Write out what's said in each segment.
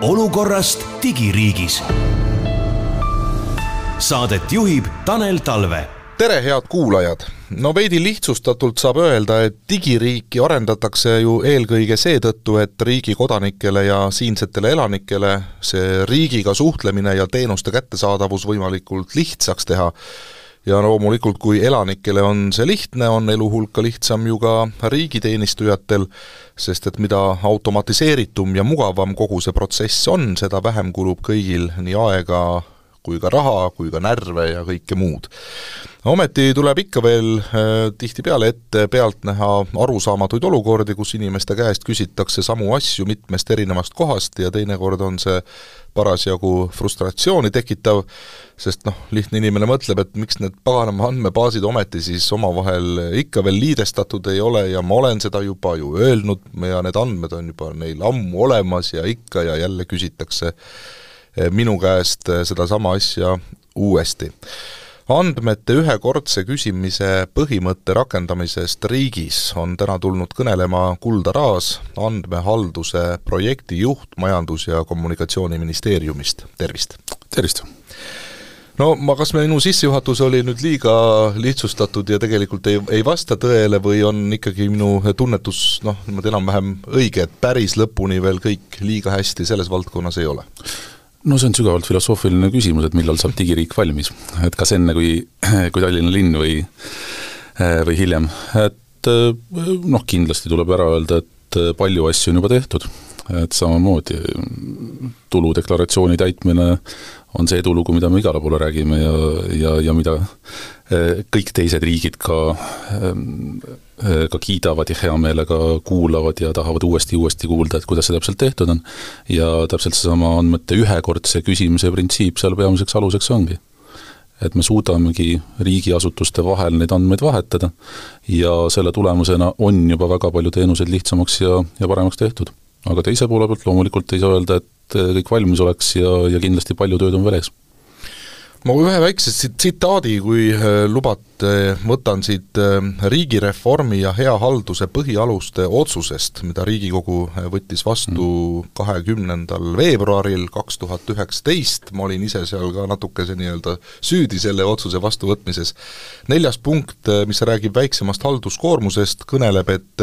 Olukorrast digiriigis. Saadet juhib Tanel Talve. Tere, head kuulajad! No veidi lihtsustatult saab öelda, et digiriiki arendatakse ju eelkõige seetõttu, et riigi kodanikele ja siinsetele elanikele see riigiga suhtlemine ja teenuste kättesaadavus võimalikult lihtsaks teha. Ja loomulikult, kui elanikele on see lihtne, on elu hulka lihtsam ju ka riigiteenistujatel, sest et mida automatiseeritum ja mugavam kogu see protsess on, seda vähem kulub kõigil nii aega kui ka raha, kui ka närve ja kõike muud. Ometi tuleb ikka veel tihtipeale ette pealt näha arusaamatuid olukordi, kus inimeste käest küsitakse samu asju mitmest erinevast kohast ja teinekord on see parasjagu frustratsiooni tekitav, sest lihtne inimene mõtleb, et miks need paganama andmebaasid ometi siis omavahel ikka veel liidestatud ei ole ja ma olen seda juba ju öelnud ja need andmed on juba neil ammu olemas ja ikka ja jälle küsitakse minu käest seda sama asja uuesti. Andmete ühekordse küsimise põhimõtte rakendamisest riigis on täna tulnud kõnelema Kulda Raas, andmehalduse projektijuht Majandus- ja Kommunikatsiooniministeeriumist. Tervist! Tervist! No kas minu sissejuhatus oli nüüd liiga lihtsustatud ja tegelikult ei vasta tõele või on ikkagi minu tunnetus enam-vähem õige, et päris lõpuni veel kõik liiga hästi selles valdkonnas ei ole? No see on sügavalt filosoofiline küsimus, et millal saab digiriik valmis. Et kas enne kui Tallinna linn või hiljem. Et kindlasti tuleb ära öelda, et palju asju on juba tehtud. Et samamoodi tuludeklaratsiooni täitmine on see edulugu, mida me igale poole räägime ja mida kõik teised riigid ka kiidavad ja hea meelega kuulavad ja tahavad uuesti kuulda, et kuidas see täpselt tehtud on. Ja täpselt seesama andmete ühekordse küsimise printsiip seal peamiseks aluseks ongi. Et me suudamegi riigiasutuste vahel neid andmeid vahetada ja selle tulemusena on juba väga palju teenuseid lihtsamaks ja paremaks tehtud. Aga teise poole pealt loomulikult ei saa öelda, et kõik valmis oleks ja kindlasti palju tööd on veel ees. Ma ühe väikse tsitaadi, kui lubate, võtan siit riigireformi ja hea halduse põhialuste otsusest, mida Riigikogu võttis vastu 20. veebruaril 2019. Ma olin ise seal ka natukese süüdi selle otsuse vastuvõtmises. 4. punkt, mis räägib väiksemast halduskoormusest, kõneleb, et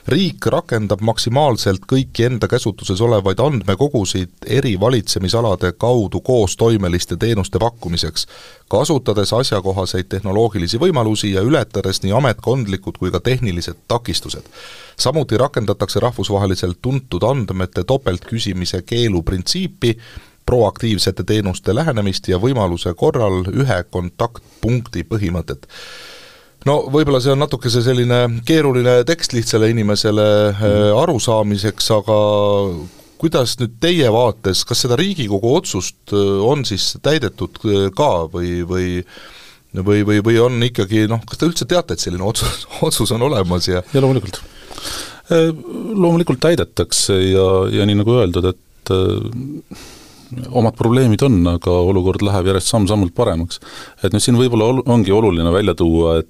riik rakendab maksimaalselt kõiki enda käsutuses olevaid andmekogusid eri valitsemisalade kaudu koostoimeliste teenuste pakkumiseks, kasutades asjakohaseid tehnoloogilisi võimalusi ja ületades nii ametkondlikud kui ka tehnilised takistused. Samuti rakendatakse rahvusvaheliselt tuntud andmete topeltküsimise keelu printsiipi, proaktiivsete teenuste lähenemist ja võimaluse korral ühe kontaktpunkti põhimõtet. Võib-olla see on natuke selline keeruline tekst lihtsale inimesele arusaamiseks, aga kuidas nüüd teie vaates, kas seda Riigikogu otsust on siis täidetud ka või on ikkagi, kas te üldse teate, et selline otsus on olemas? Ja loomulikult. Loomulikult täidetakse ja nii nagu öeldud, et omad probleemid on, aga olukord läheb järjest samm-sammult paremaks. Et nüüd siin võib-olla ongi oluline välja tuua, et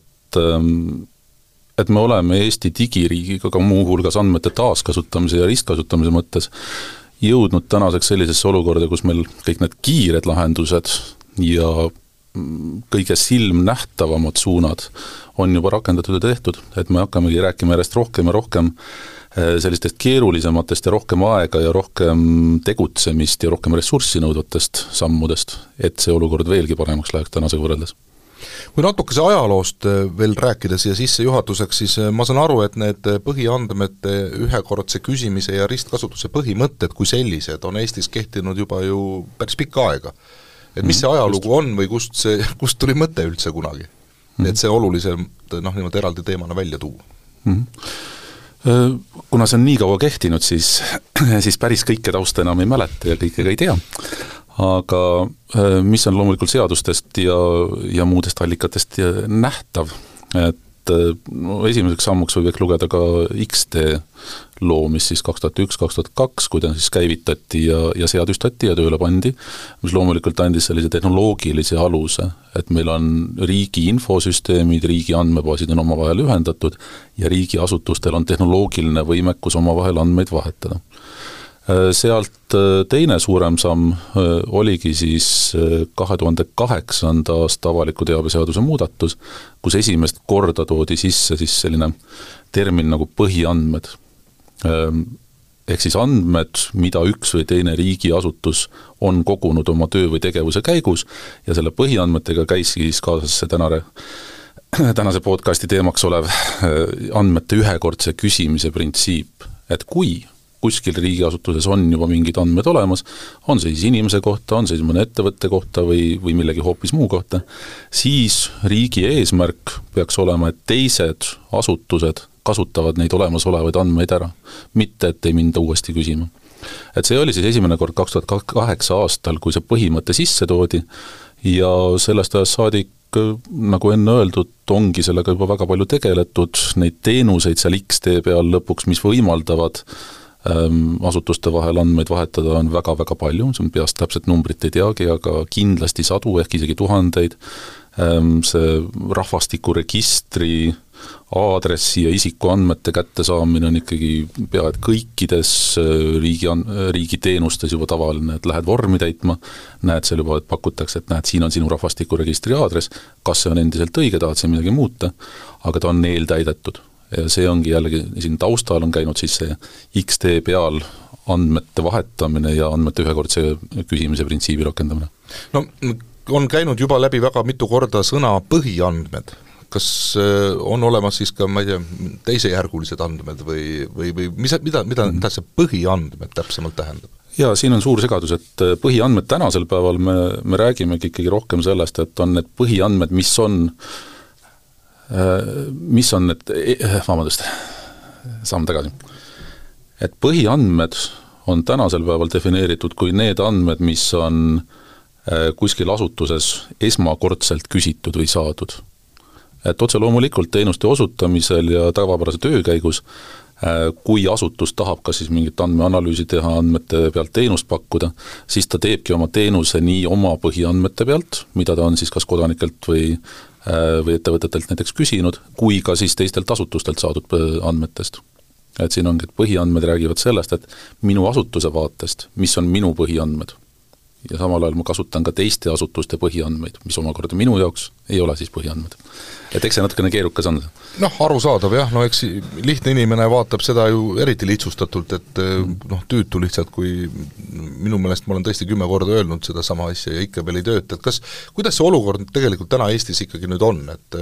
me oleme Eesti digiriigiga ka muu hulgas andmete taaskasutamise ja ristkasutamise mõttes jõudnud tänaseks sellisesse olukorda, kus meil kõik need kiired lahendused ja kõige silmnähtavamad suunad on juba rakendatud ja tehtud, et me hakkamegi rääkima järjest rohkem ja rohkem sellistest keerulisematest ja rohkem aega ja rohkem tegutsemist ja rohkem ressurssi nõudvatest sammudest, et see olukord veelgi paremaks läheks tänasega võrreldes. Kui natukese ajaloost veel rääkides ja sissejuhatuseks, siis ma saan aru, et need põhiandmete ühekordse küsimise ja ristkasutuse põhimõtted kui sellised on Eestis kehtinud juba ju päris pikka aega. Et mis see ajalugu on või kust tuli mõte üldse kunagi? Et see oluliselt eraldi teemana välja tuua. Kuna see on nii kaua kehtinud, siis päris kõike tausta enam ei mäleta ja kõike ka ei tea. Aga mis on loomulikult seadustest ja muudest allikatest nähtav, et esimeseks sammuks võib lugeda ka XD loomis siis 2001-2002, kui ta siis käivitati ja seadustati ja tööle pandi, mis loomulikult andis sellise tehnoloogilise aluse, et meil on riigi infosüsteemid, riigi andmebaasid on omavahel ühendatud ja riigiasutustel on tehnoloogiline võimekus omavahel andmeid vahetada. Sealt teine suurem samm oligi siis 2008. aasta avaliku teabeseaduse muudatus, kus esimest korda toodi sisse siis selline termin nagu põhiandmed. Ehk siis andmed, mida üks või teine riigiasutus on kogunud oma töö või tegevuse käigus ja selle põhiandmetega käis siis kaasas see tänase podcasti teemaks olev andmete ühekordse küsimise printsiip, et kui kuskil riigiasutuses on juba mingid andmed olemas, on see siis inimese kohta, on see siis mõne ettevõtte kohta või millegi hoopis muu kohta, siis riigi eesmärk peaks olema, et teised asutused kasutavad neid olemasolevaid andmeid ära, mitte et ei minda uuesti küsima. Et see oli siis esimene kord 2008 aastal, kui see põhimõte sisse toodi ja sellest ajast saadik, nagu enne öeldud, ongi sellega juba väga palju tegeletud, neid teenuseid seal XD peal lõpuks, mis võimaldavad asutuste vahel andmeid vahetada on väga-väga palju, see on peast täpselt numbrit ei teagi, aga kindlasti sadu ehk isegi tuhandeid. See rahvastikuregistri aadressi ja isikuandmete kättesaamine on ikkagi pea et kõikides riigi teenustes juba tavaline, et lähed vormi täitma, näed seal juba, et pakutakse, et näed, siin on sinu rahvastikuregistri aadress, kas see on endiselt õige, tahad see midagi muuta, aga ta on eeltäidetud. Ja see ongi jällegi, siin taustal on käinud siis see XD peal andmete vahetamine ja andmete ühekordse küsimise printsiibi rakendamine. No on käinud juba läbi väga mitu korda sõna põhiandmed. Kas on olemas siis ka, ma ei tea, teisejärgulised andmed või mida see põhiandmed täpsemalt tähendab? Ja siin on suur segadus, et põhiandmed tänasel päeval me räägimegi ikkagi rohkem sellest, et on need põhiandmed, mis on need, samm tagasi. Et põhiandmed on tänasel päeval defineeritud kui need andmed, mis on kuskil asutuses esmakordselt küsitud või saadud. Et otse loomulikult teenuste osutamisel ja tavapärase töö käigus, kui asutus tahab kas siis mingit andmeanalüüsi teha, andmete pealt teenust pakkuda, siis ta teebki oma teenuse nii oma põhiandmete pealt, mida ta on siis kas kodanikelt või ettevõtetelt näiteks küsinud, kui ka siis teistelt asutustelt saadud andmetest. Et siin ongi, et põhiandmed räägivad sellest, et minu asutuse vaatest, mis on minu põhiandmed. Ja samal ajal ma kasutan ka teiste asutuste põhiandmeid, mis omakorda minu jaoks ei ole siis põhiandmed. Et eks see natukene keerukas on. Arusaadav jah, eks lihtne inimene vaatab seda ju eriti lihtsustatult, et tüütu lihtsalt, kui minu meelest ma olen tõesti 10 korda öelnud seda sama asja ja ikka veel ei tööta, et kuidas see olukord tegelikult täna Eestis ikkagi nüüd on, et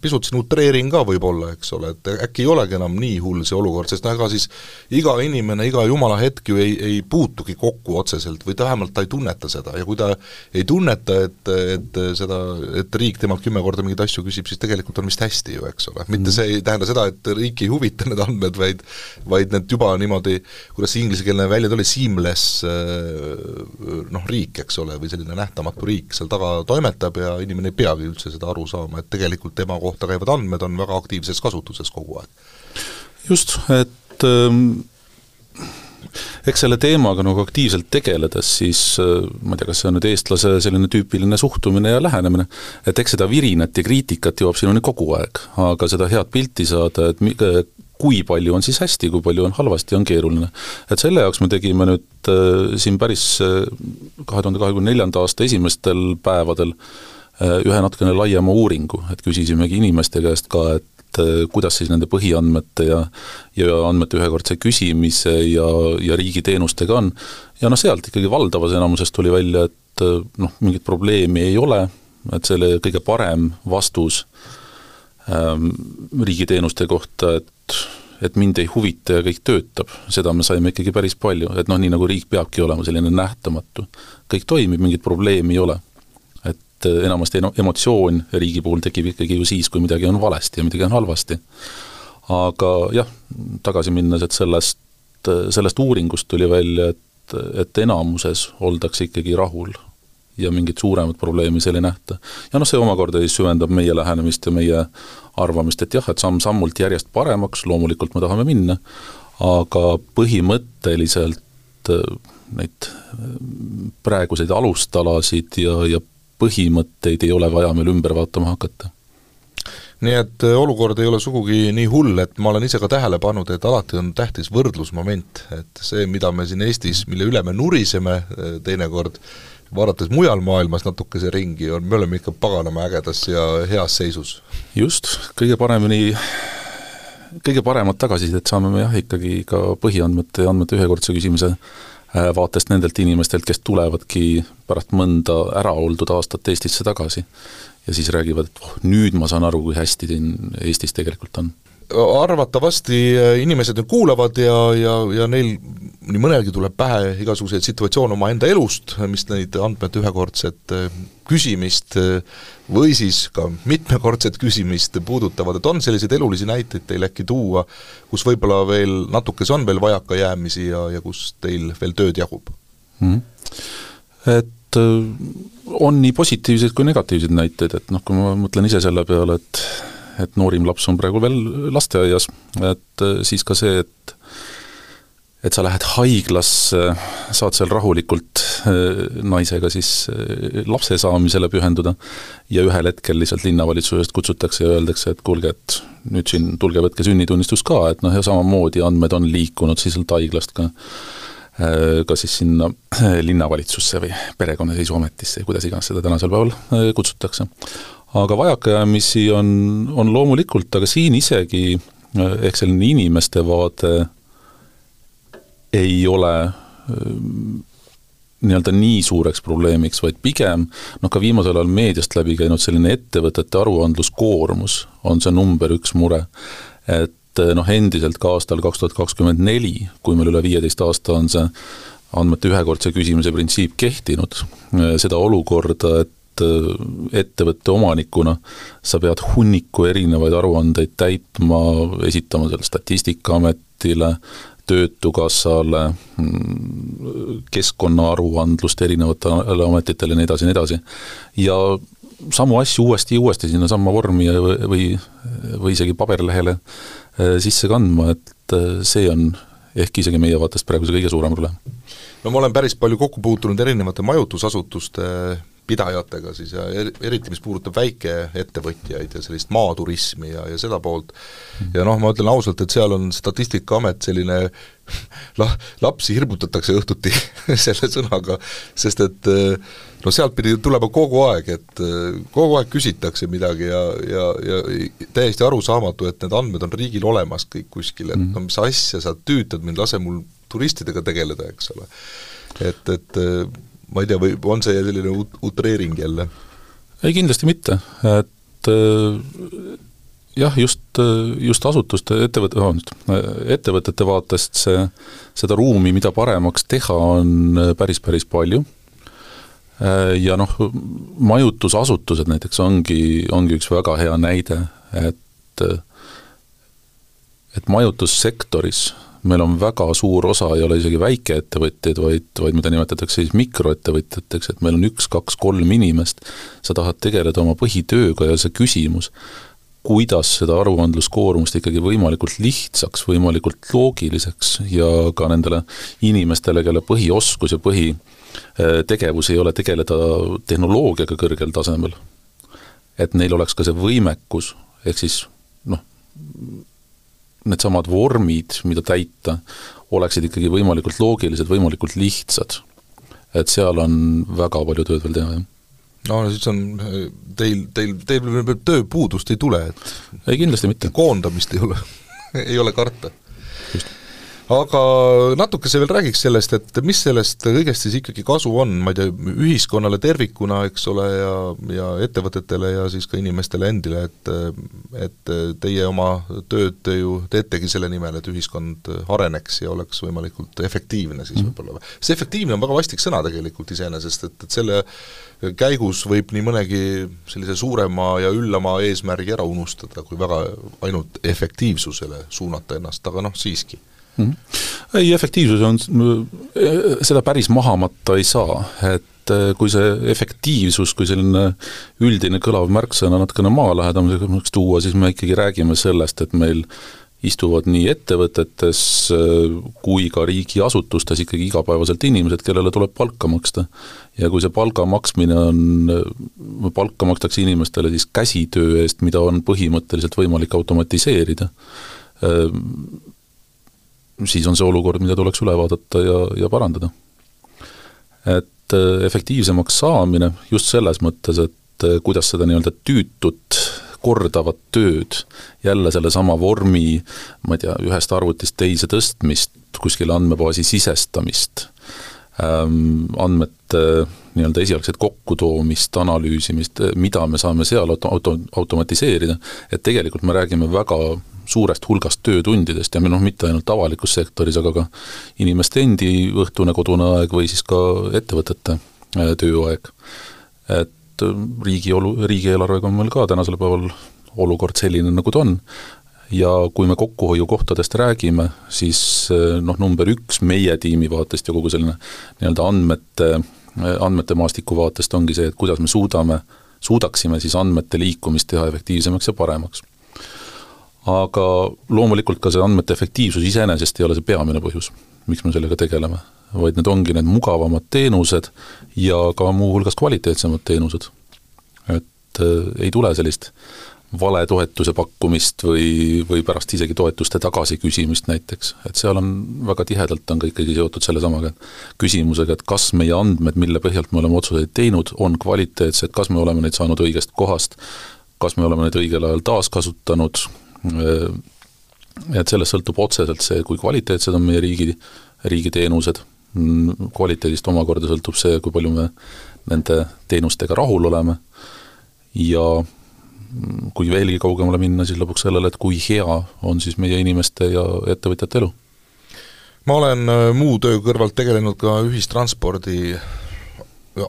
pisut siin utreering ka võib-olla, eks ole, et äkki ei olegi enam nii hull see olukord, sest ega siis iga inimene, iga jumala hetk ju ei puutugi kokku otseselt või vähemalt ta ei tunneta seda ja kui ta ei tunneta, et riik temalt 10 korda mingeid asju küsib, siis tegelikult on vist hästi ju, eks ole. Mitte see ei tähenda seda, et riik ei huvita need andmed, vaid need juba niimoodi, kuidas see ingliskeelne välja tuli, seamless riik, eks ole, või selline nähtamatu riik seal taga toimetab ja inimene ei peagi üldse seda aru saama, et tegelikult tema kohta käivad andmed on väga aktiivses kasutuses kogu aeg. Just, et eks selle teemaga nagu aktiivselt tegeledes, siis ma ei tea, kas see on nüüd eestlase selline tüüpiline suhtumine ja lähenemine, et eks seda virinat ja kriitikat jõuab sinuni kogu aeg, aga seda head pilti saada, et kui palju on siis hästi, kui palju on halvasti, on keeruline. Et selle jaoks me tegime nüüd siin päris 2024. aasta esimestel päevadel ühe natukene laiema uuringu, et küsisimegi inimeste käest ka, et kuidas siis nende põhiandmete ja andmete ühekordse küsimise ja riigi teenustega on. Ja sealt ikkagi valdavas enamusest tuli välja, et mingit probleemi ei ole, et selle kõige parem vastus riigi teenuste kohta, et mind ei huvita ja kõik töötab, seda me saime ikkagi päris palju, et nii nagu riik peabki olema selline nähtamatu. Kõik toimib, mingit probleemi ei ole. Enamasti emotsioon riigi puhul tekib ikkagi ju siis, kui midagi on valesti ja midagi on halvasti. Aga jah, tagasi minnes, et sellest uuringust tuli välja, et enamuses oldakse ikkagi rahul ja mingit suuremat probleemi seal ei nähta. Ja see omakorda süvendab meie lähenemist ja meie arvamist, et jah, et samm-sammult järjest paremaks, loomulikult me tahame minna, aga põhimõtteliselt neid praeguseid alustalasid ja põhimõtteid ei ole vaja meil ümber vaatama hakata. nii et olukord ei ole sugugi nii hull, et ma olen ise ka tähele pannud, et alati on tähtis võrdlusmoment, et see, mida me siin Eestis, mille üle me nuriseme teinekord, vaadates mujal maailmas natukese ringi, me oleme ikka paganama ägedas ja heas seisus. Just, kõige paremat tagasisidet saame me ikkagi ka põhiandmete ja andmete ühekordse küsimise vaatest nendelt inimestelt, kes tulevadki pärast mõnda ära oldud aastat Eestisse tagasi ja siis räägivad, et nüüd ma saan aru, kui hästi Eestis tegelikult on. Arvatavasti inimesed nüüd kuulavad ja neil nii mõnelgi tuleb pähe igasuguseid situatsioone oma enda elust, mis neid andmete ühekordset küsimist või siis ka mitmekordset küsimist puudutavad, et on selliseid elulisi näiteid teil äkki tuua, kus võib-olla veel natukes on veel vajaka jäämisi ja kus teil veel tööd jagub? Et on nii positiivseid kui negatiivseid näiteid, et kui ma mõtlen ise selle peale, et noorim laps on praegu veel lasteaias, et siis ka see, et sa lähed haiglasse, saad seal rahulikult naisega siis lapse saamisele pühenduda ja ühel hetkel lihtsalt linnavalitsusest kutsutakse ja öeldakse, et kuulge, et nüüd siin tulge võtke sünnitunnistus ka, et ja samamoodi andmed on liikunud siis haiglast ka siis sinna linnavalitsusse või perekonnaseisuametisse, kuidas iganes seda tänasel päeval kutsutakse. Aga vajakajäämisi on loomulikult, aga siin isegi ehk selline inimeste vaade ei ole nii-öelda nii suureks probleemiks, vaid pigem ka viimasel ajal meediast läbi käinud selline ettevõtete aruandluskoormus on see number 1 mure, et endiselt ka aastal 2024, kui meil üle 15 aasta on see andmete ühekordse küsimise printsiip kehtinud, seda olukorda, et ettevõtte omanikuna sa pead hunniku erinevaid aruandeid täitma, esitama selle Statistikaametile, Töötukassale, keskkonnaaruandlust erinevatele ametitele ja nii edasi. Ja samu asju uuesti sinna samma vormi või isegi paberlehele sisse kandma, et see on ehk isegi meie vaatest praegu see kõige suurem probleem. No ma olen päris palju kokku puutunud erinevate majutusasutuste pidajatega siis ja eriti, mis puudutab väikeettevõtjaid ja sellist maaturismi ja seda poolt. Ja ma ütlen ausalt, et seal on Statistikaamet selline, lapsi hirmutatakse õhtuti selle sõnaga, sest et sealt pidi tulema kogu aeg, et kogu aeg küsitakse midagi ja täiesti arusaamatu, et need andmed on riigil olemas kõik kuskil, et mis asja sa tüütad mind, lase mul turistidega tegeleda, eks ole. Et ma ei tea, või on see selline utreering jälle? Ei, kindlasti mitte, et jah, just asutuste ettevõtete vaatest seda ruumi, mida paremaks teha, on päris palju ja majutusasutused näiteks ongi üks väga hea näide, et majutussektoris meil on väga suur osa, ei ole isegi väikeettevõtjaid, vaid mida nimetatakse siis mikroettevõtjateks, et meil on 1, 2, 3 inimest, sa tahad tegeleda oma põhitööga ja see küsimus, kuidas seda aruandluskoormust ikkagi võimalikult lihtsaks, võimalikult loogiliseks ja ka nendele inimestele, kelle põhioskus ja põhitegevus ei ole tegeleda tehnoloogiaga kõrgel tasemel, et neil oleks ka see võimekus, ehk siis need samad vormid, mida täita, oleksid ikkagi võimalikult loogilised, võimalikult lihtsad. Et seal on väga palju tööd veel teha. No siis on, teil tööpuudust ei tule, et ei, kindlasti mitte. Koondamist ei ole karta. Just. Aga natukese veel räägiks sellest, et mis sellest kõigest siis ikkagi kasu on, ma ei tea, ühiskonnale tervikuna, eks ole, ja ettevõtetele ja siis ka inimestele endile, et teie oma tööd ju teetegi selle nimel, et ühiskond areneks ja oleks võimalikult efektiivne siis võib-olla. See efektiivne on väga vastik sõna tegelikult iseenesest, et selle käigus võib nii mõnegi sellise suurema ja üllama eesmärgi ära unustada, kui väga ainult efektiivsusele suunata ennast, aga siiski. Ei, efektiivsus on, seda päris mahamatta ei saa, et kui see efektiivsus, kui selline üldine kõlav märksõna natukene maalähedamiseks tuua, siis me ikkagi räägime sellest, et meil istuvad nii ettevõtetes kui ka riigiasutustes ikkagi igapäevaselt inimesed, kellele tuleb palka maksta. Ja kui see palka maksmine palka makstakse inimestele siis käsitöö eest, mida on põhimõtteliselt võimalik automatiseerida, siis on see olukord, mida tuleks üle vaadata ja parandada. Et efektiivsemaks saamine just selles mõttes, et kuidas seda nii-öelda tüütut kordavat tööd, jälle selle sama vormi, ma ei tea, ühest arvutist teise tõstmist, kuskile andmebaasi sisestamist, andmete nii-öelda esialgset kokkutoomist, analüüsimist, mida me saame seal automatiseerida, et tegelikult me räägime väga suurest hulgast töötundidest ja mitte ainult avalikus sektoris, aga ka inimeste endi õhtune kodune aeg või siis ka ettevõtete tööaeg. Et riigieelarvega on meil ka tänasel päeval olukord selline, nagu ta on. Ja kui me kokkuhoiukohtadest räägime, siis number 1 meie tiimi vaatest ja kogu selline nii-öelda andmete maastiku vaatest ongi see, et kuidas me suudaksime siis andmete liikumist teha efektiivsemaks ja paremaks. Aga loomulikult ka see andmete efektiivsus iseenesest ei ole see peamine põhjus, miks me sellega tegeleme, vaid need ongi need mugavamad teenused ja ka muu hulgas kvaliteetsemad teenused. Et ei tule sellist vale toetuse pakkumist või pärast isegi toetuste tagasi küsimist näiteks. Et seal on väga tihedalt on ka ikkagi seotud selle samaga küsimusega, et kas meie andmed, mille põhjalt me oleme otsuseid teinud, on kvaliteetsed, kas me oleme neid saanud õigest kohast, kas me oleme neid õigel ajal taaskasutanud. Et sellest sõltub otseselt see, kui kvaliteetsed on meie riigi teenused. Kvaliteedist omakorda sõltub see, kui palju me nende teenustega rahul oleme ja kui veelgi kaugemale minna, siis lõpuks sellele, et kui hea on siis meie inimeste ja ettevõtjate elu. Ma olen muu töö kõrvalt tegelenud ka ühistranspordi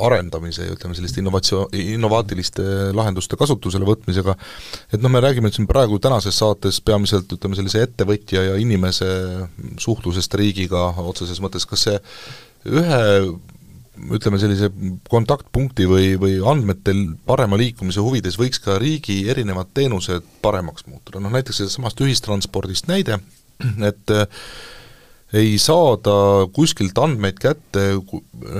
arendamise ja ütleme selliste innovaatiliste lahenduste kasutusele võtmisega, et me räägime siin praegu tänases saates peamiselt ütleme sellise ettevõtja ja inimese suhtlusest riigiga otseses mõttes, kas see ühe ütleme sellise kontaktpunkti või andmetel parema liikumise huvides võiks ka riigi erinevad teenused paremaks muutuda, näiteks samast ühistranspordist näide, et ei saada kuskilt andmeid kätte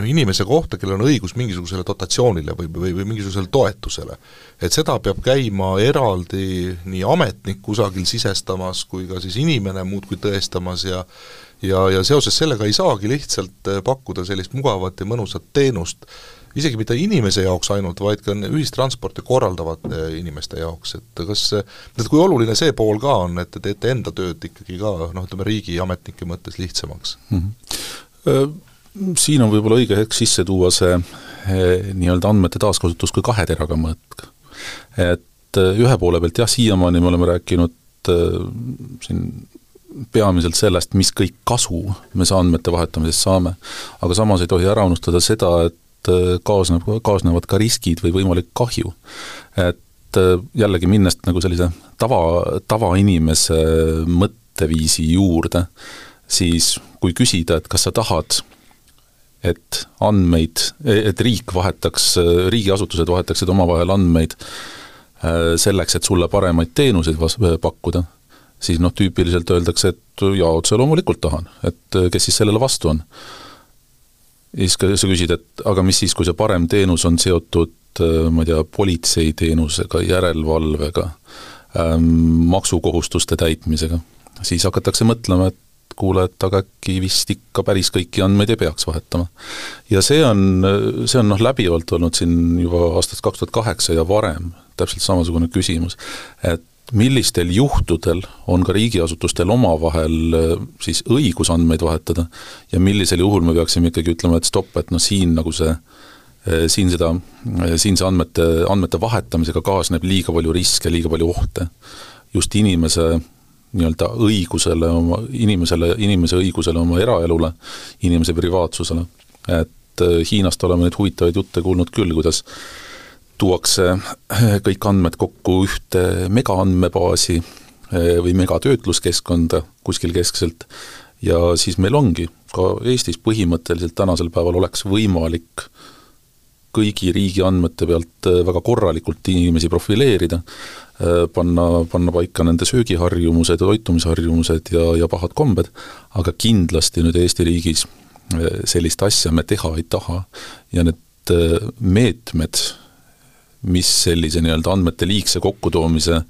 inimese kohta, kellel on õigus mingisugusele dotatsioonile või mingisugusele toetusele. Et seda peab käima eraldi nii ametnik kusagil sisestamas, kui ka siis inimene muudkui tõestamas ja seoses sellega ei saagi lihtsalt pakkuda sellist mugavat ja mõnusat teenust, isegi mitte inimese jaoks ainult, vaid ka ühistransporti korraldavate inimeste jaoks, et kui oluline see pool ka on, et teete enda tööd ikkagi ka, ütleme riigi ametnike mõttes lihtsamaks? Siin on võib-olla õige hetk sisse tuua see nii-öelda andmete taaskasutus kui 2 teraga mõõtk. Et ühe poole pealt siiamaani me oleme rääkinud siin peamiselt sellest, mis kõik kasu me andmete vahetamisest saame, aga samas ei tohi ära unustada seda, et kaasnevad ka riskid või võimalik kahju. Et jällegi minnest nagu sellise tavainimese mõtteviisi juurde, siis kui küsida, et kas sa tahad, et riigiasutused vahetaksid omavahel andmeid selleks, et sulle paremaid teenuseid pakkuda, siis tüüpiliselt öeldakse, et otse loomulikult tahan, et kes siis sellele vastu on. Ja siis sa küsid, et aga mis siis, kui see parem teenus on seotud, ma ei tea, politseiteenusega, järelevalvega, maksukohustuste täitmisega, siis hakatakse mõtlema, et kuule, et aga äkki vist ikka päris kõiki andmeid ei peaks vahetama. Ja see on läbivalt olnud siin juba aastast 2008 ja varem, täpselt samasugune küsimus, et millistel juhtudel on ka riigiasutustel omavahel siis õigus andmeid vahetada ja millisel juhul me peaksime ikkagi ütlema, et stopp, et siin nagu siin see andmete vahetamisega kaasneb liiga palju riske, liiga palju ohte. Just inimese nii-öelda õigusele, inimese õigusele oma eraelule, inimese privaatsusele. Et Hiinast oleme neid huvitavaid jutte kuulnud küll, kuidas tuuakse kõik andmed kokku ühte megaandmebaasi või megatöötluskeskkonda kuskil keskselt ja siis meil ongi ka Eestis põhimõtteliselt tänasel päeval oleks võimalik kõigi riigi andmete pealt väga korralikult inimesi profileerida, panna paika nende söögiharjumused, toitumisharjumused ja pahad kombed, aga kindlasti nüüd Eesti riigis sellist asja me teha ei taha ja need meetmed, mis sellise nii-öelda andmete liigse kokkutoomise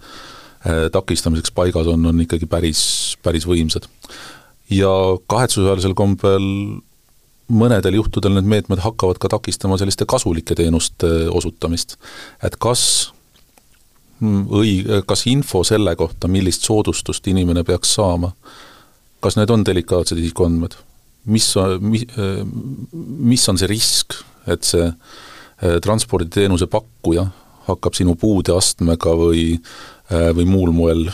takistamiseks paigas on ikkagi päris võimsad. Ja kahetsusväärsel kombel mõnedel juhtudel need meetmed hakkavad ka takistama selliste kasulike teenuste osutamist. Et kas info selle kohta, millist soodustust inimene peaks saama, kas need on delikaatsed isikuandmed? Mis on see risk, et see transporditeenuse pakkuja hakkab sinu puudeastmega või muul moel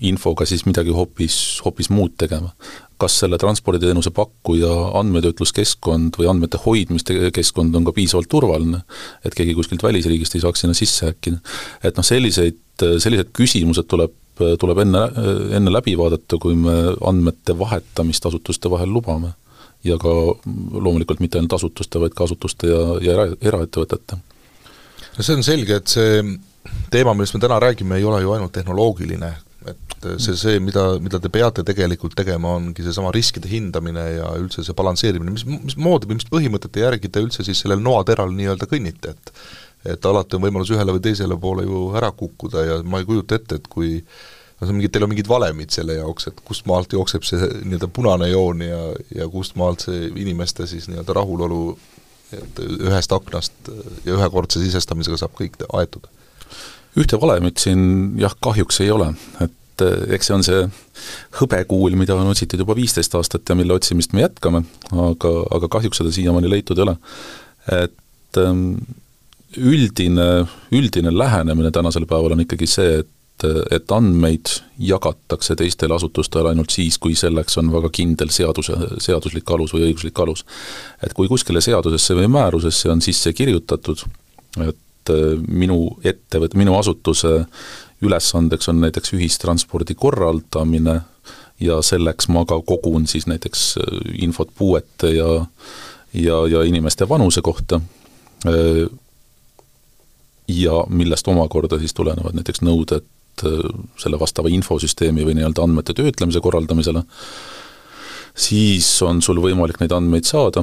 infoga siis midagi hoopis muud tegema. Kas selle transporditeenuse pakkuja andmetöötluskeskkond või andmete hoidmiskeskkond on ka piisavalt turvaline, et keegi kuskilt välisriigist ei saaks sinna sisse äkkida. Et sellised küsimused tuleb enne läbi vaadata, kui me andmete vahetamist asutuste vahel lubame. Ja ka loomulikult mitte ainult asutuste, vaid ka asutuste ja eraettevõtete. See on selge, et see teema, millest me täna räägime, ei ole ju ainult tehnoloogiline, et see mida te peate tegelikult tegema, ongi see sama riskide hindamine ja üldse see balansseerimine, mis moodi või mis põhimõtete järgi te üldse siis sellel noateral nii-öelda kõnnite, et alati on võimalus ühele või teisele poole ju ära kukkuda ja ma ei kujuta ette, et kui teil on mingid valemid selle jaoks, et kust maalt jookseb see nii-öelda punane joon ja kust maalt see inimeste siis nii-öelda rahulolu, et ühest aknast ja ühekordse sisestamisega saab kõik aetud. Ühte valemit siin kahjuks ei ole, et eks see on see hõbekuul, mida on otsitud juba 15 aastat ja mille otsimist me jätkame, aga kahjuks seda siiamaani leitud ei ole. Et üldine lähenemine tänasel päeval on ikkagi see, et andmeid jagatakse teistele asutustele ainult siis, kui selleks on väga kindel seaduslik alus või õiguslik alus. Et kui kuskile seadusesse või määrusesse on sisse kirjutatud, et minu asutuse ülesandeks on näiteks ühistranspordi korraldamine ja selleks ma ka kogun siis näiteks infot puuete ja inimeste vanuse kohta ja millest omakorda siis tulenevad näiteks nõuded selle vastava infosüsteemi või nii-öelda andmete töötlemise korraldamisele, siis on sul võimalik neid andmeid saada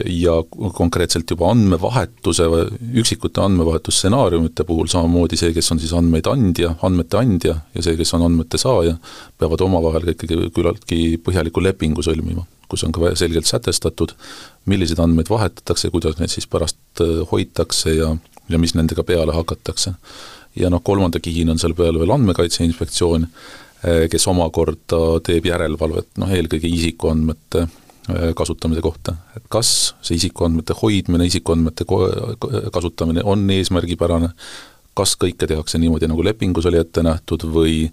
ja konkreetselt juba üksikute andmevahetusstsenaariumite puhul samamoodi see, kes on siis andmete andja ja see, kes on andmete saaja, peavad omavahel ikkagi küllaltki põhjaliku lepingu sõlmima, kus on ka selgelt sätestatud, milliseid andmeid vahetatakse, kuidas neid siis pärast hoitakse ja mis nendega peale hakatakse. Ja kolmanda kihina on seal peale veel Andmekaitse Inspektsioon, kes omakorda teeb järelevalvet eelkõige isikuandmete kasutamise kohta. Et kas see isikuandmete hoidmine, isikuandmete kasutamine on eesmärgipärane, kas kõike tehakse niimoodi, nagu lepingus oli ette nähtud või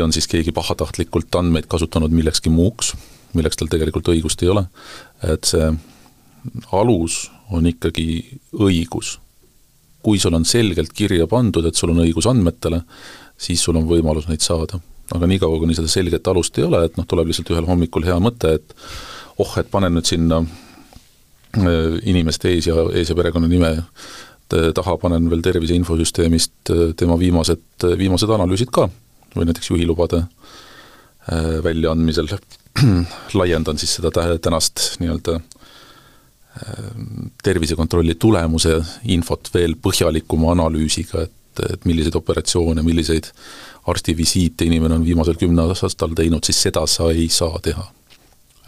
on siis keegi pahatahtlikult andmeid kasutanud millekski muuks, milleks tal tegelikult õigust ei ole. Et see alus on ikkagi õigus. Kui sul on selgelt kirja pandud, et sul on õigus andmetele, siis sul on võimalus neid saada. Aga nii kaua, kuni seda selget alust ei ole, et tuleb lihtsalt ühel hommikul hea mõte, et et panen nüüd sinna inimeste ees ja perekonna nime taha, panen veel tervise infosüsteemist tema viimased analüüsid ka, või näiteks juhilubade väljaandmisel laiendan siis seda tänast nii-öelda tervisekontrolli tulemuse infot veel põhjalikuma analüüsiga, et milliseid operatsioone, milliseid arstivisiite inimene on viimasel 10 aastal teinud, siis seda sa ei saa teha.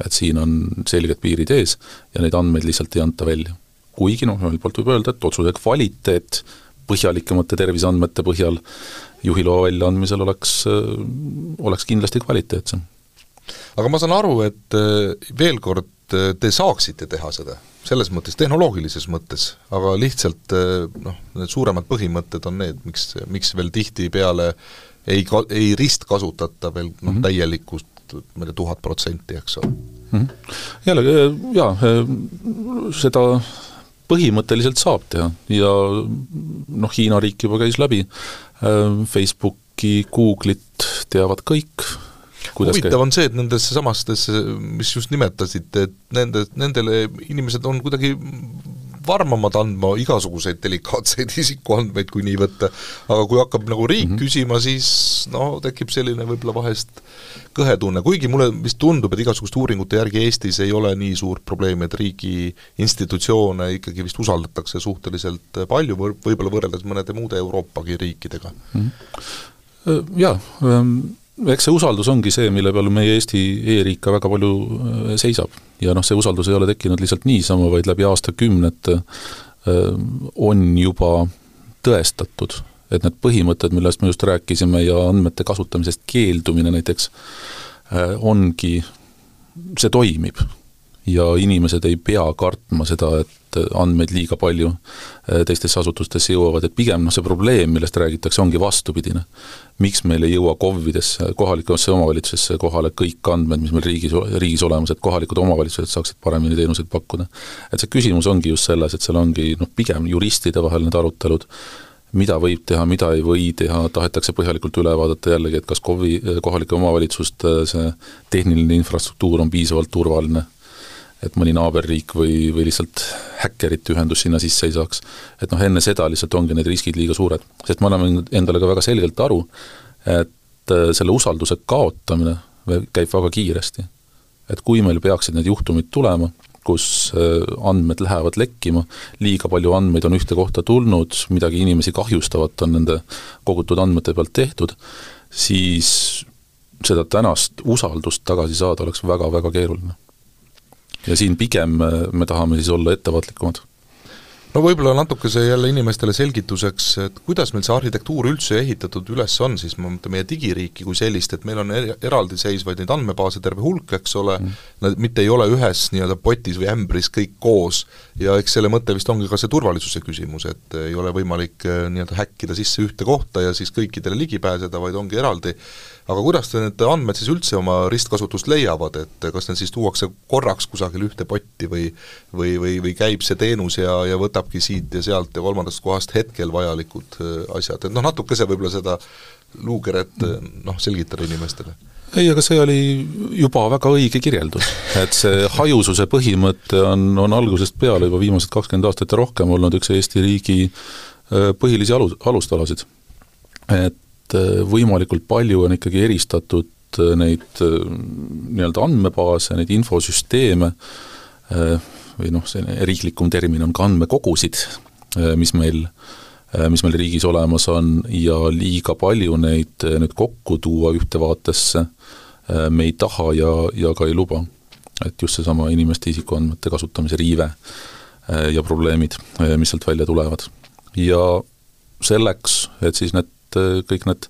Et siin on selged piirid ees ja neid andmeid lihtsalt ei anta välja. Kuigi ühelt poolt võib öelda, et otsuse kvaliteet põhjalikemate terviseandmete põhjal juhiloa väljaandmisel oleks kindlasti kvaliteetsem. Aga ma saan aru, et veel kord te saaksite teha seda, selles mõttes, tehnoloogilises mõttes, aga lihtsalt need suuremad põhimõtted on need, miks veel tihti peale ei ristkasutata veel täielikust 1000%, eks ole. Jällegi, seda põhimõtteliselt saab teha ja Hiina riik juba käis läbi, Facebooki, Google'it teavad kõik, huvitav on see, et nendesse samastesse, mis just nimetasid, et nendele inimesed on kuidagi varmamad andma igasuguseid delikaatseid isikuandmeid, kui nii võtta, aga kui hakkab nagu riik küsima, siis tekib selline võib-olla vahest kõhetunne, kuigi mulle vist tundub, et igasuguste uuringute järgi Eestis ei ole nii suurt probleemi, et riigi institutsioone ikkagi vist usaldatakse suhteliselt palju, võib-olla võrreldes mõnede muude Euroopagi riikidega. Jaa, eks see usaldus ongi see, mille peal meie Eesti e-riik ka väga palju seisab. Ja see usaldus ei ole tekkinud lihtsalt niisama, vaid läbi aastakümnete on juba tõestatud, et need põhimõtted, millest me just rääkisime ja andmete kasutamisest keeldumine näiteks, ongi, see toimib. Ja inimesed ei pea kartma seda, et andmeid liiga palju teistesse asutustesse jõuavad, et pigem see probleem, millest räägitakse, ongi vastupidine. Miks meil ei jõua KOV-idesse, kohalikesse omavalitsusesse kohale kõik andmed, mis meil riigis olemas, et kohalikud omavalitsused saaksid paremini teenuseid pakkuda. Et see küsimus ongi just selles, et seal ongi pigem juristide vahel need arutelud, mida võib teha, mida ei või teha, tahetakse põhjalikult üle vaadata jällegi, et kas kohalike omavalitsuste see tehniline infrastruktuur on piisavalt turvaline, et mõni naaberriik või lihtsalt häkkerite ühendus sinna sisse ei saaks. Et enne seda lihtsalt ongi need riskid liiga suured. Sest ma olen endale ka väga selgelt aru, et selle usalduse kaotamine käib väga kiiresti. Et kui meil peaksid need juhtumid tulema, kus andmed lähevad lekkima, liiga palju andmeid on ühte kohta tulnud, midagi inimesi kahjustavat on nende kogutud andmete pealt tehtud, siis seda tänast usaldust tagasi saada oleks väga-väga keeruline. Ja siin pigem me tahame siis olla ettevaatlikumad. No võib-olla natuke see jälle inimestele selgituseks, et kuidas meil see arhitektuur üldse ehitatud üles on, siis ma mõtlen meie digiriiki kui sellist, et meil on eraldi seisvaid neid andmebaase terve hulk, eks ole, nad mitte ei ole ühes nii-öelda potis või ämbris kõik koos, ja eks selle mõte vist ongi ka see turvalisuse küsimus, et ei ole võimalik nii-öelda häkkida sisse ühte kohta ja siis kõikidele ligi pääseda, vaid ongi eraldi. Aga kuidas need andmed siis üldse oma ristkasutust leiavad, et kas need siis tuuakse korraks kusagil ühte potti või käib see teenus ja võtabki siit ja sealt ja kolmandast kohast hetkel vajalikud asjad, et natuke see võib-olla seda luukeret selgitada inimestele. Ei, aga see oli juba väga õige kirjeldus, et see hajususe põhimõte on algusest peale juba viimased 20 aastat ja rohkem olnud üks Eesti riigi põhilisi alustalasid, et võimalikult palju on ikkagi eristatud neid nii-öelda andmebaase, neid infosüsteeme või see riiklikum termin on ka andmekogusid, mis meil riigis olemas on ja liiga palju neid nüüd kokku tuua ühte vaatesse me ei taha ja ka ei luba. Et just see sama inimeste isikuandmete kasutamise riive ja probleemid, mis sealt välja tulevad. Ja selleks, et siis kõik need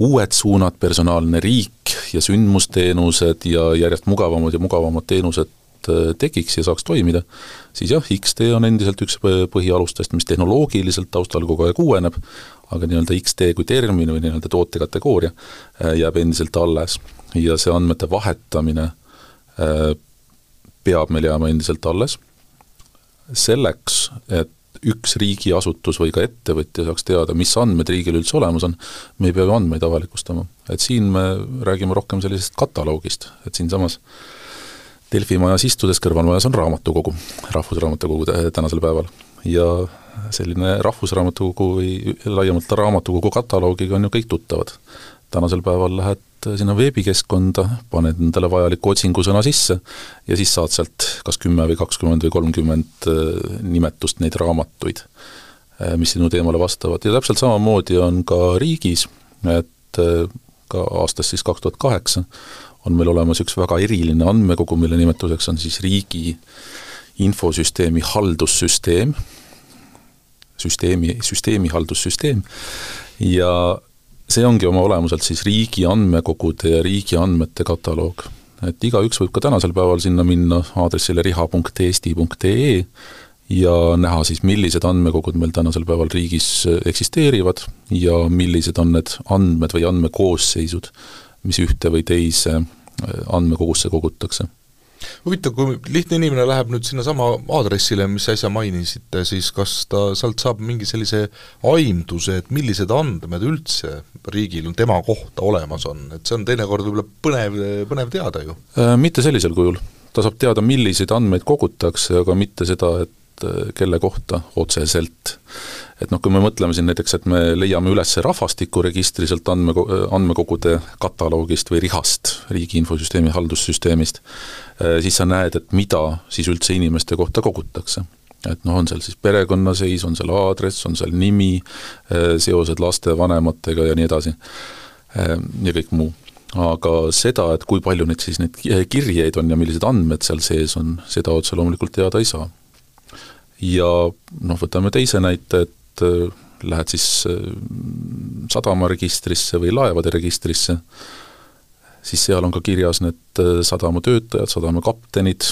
uued suunad, personaalne riik ja sündmusteenused ja järjest mugavamad teenused tekiks ja saaks toimida, siis jah, XD on endiselt üks põhialustest, mis tehnoloogiliselt taustal kogu aeg uueneb, aga nii-öelda XD kui termin või nii-öelda tootekategooria jääb endiselt alles ja see andmete vahetamine peab meil jääma endiselt alles. Selleks, et üks riigiasutus või ka ettevõtja saaks teada, mis andmed riigil üldse olemas on, me ei pea andmeid avalikustama. Et siin me räägime rohkem sellisest kataloogist, et siin samas Delfi majas istudes kõrvalmajas on raamatukogu, rahvusraamatukogu tänasel päeval. Ja selline rahvusraamatukogu või laiemalt raamatukogu kataloogiga on ju kõik tuttavad. Tänasel päeval lähed sinna veebikeskkonda, paned endale vajaliku otsingusõna sisse ja siis saad sealt kas 10 või 20 või 30 nimetust neid raamatuid, mis sinu teemale vastavad. Ja täpselt samamoodi on ka riigis, et ka aastast siis 2008 on meil olemas üks väga eriline andmekogu, mille nimetuseks on siis riigi infosüsteemi haldussüsteem, süsteemi haldussüsteem ja see ongi oma olemuselt siis riigi andmekogude ja riigi andmete kataloog. Et igaüks võib ka tänasel päeval sinna minna aadressile riha.eesti.ee ja näha siis, millised andmekogud meil tänasel päeval riigis eksisteerivad ja millised on need andmed või andmekoosseisud, mis ühte või teise andmekogusse kogutakse. Huvitav, kui lihtne inimene läheb nüüd sinna sama aadressile, mis äsja mainisite, siis kas ta sealt saab mingi sellise aimduse, et millised andmed üldse riigil on tema kohta olemas on, et see on teinekord võib-olla põnev teada ju? Mitte sellisel kujul. Ta saab teada, milliseid andmeid kogutakse, aga mitte seda, et kelle kohta otseselt. Et kui me mõtleme siin näiteks, et me leiame üles rahvastikuregistri sealt andmekogude kataloogist või RIHast, riigi infosüsteemi haldussüsteemist, siis sa näed, et mida siis üldse inimeste kohta kogutakse. Et on seal siis perekonnaseis, on seal aadress, on seal nimi, seosed laste vanematega ja nii edasi ja kõik muu. Aga seda, et kui palju neid siis neid kirjeid on ja millised andmed seal sees on, seda otse loomulikult teada ei saa. Ja võtame teise näite, et lähed siis sadamaregistrisse või laevade registrisse, siis seal on ka kirjas need sadama töötajad, sadama kaptenid,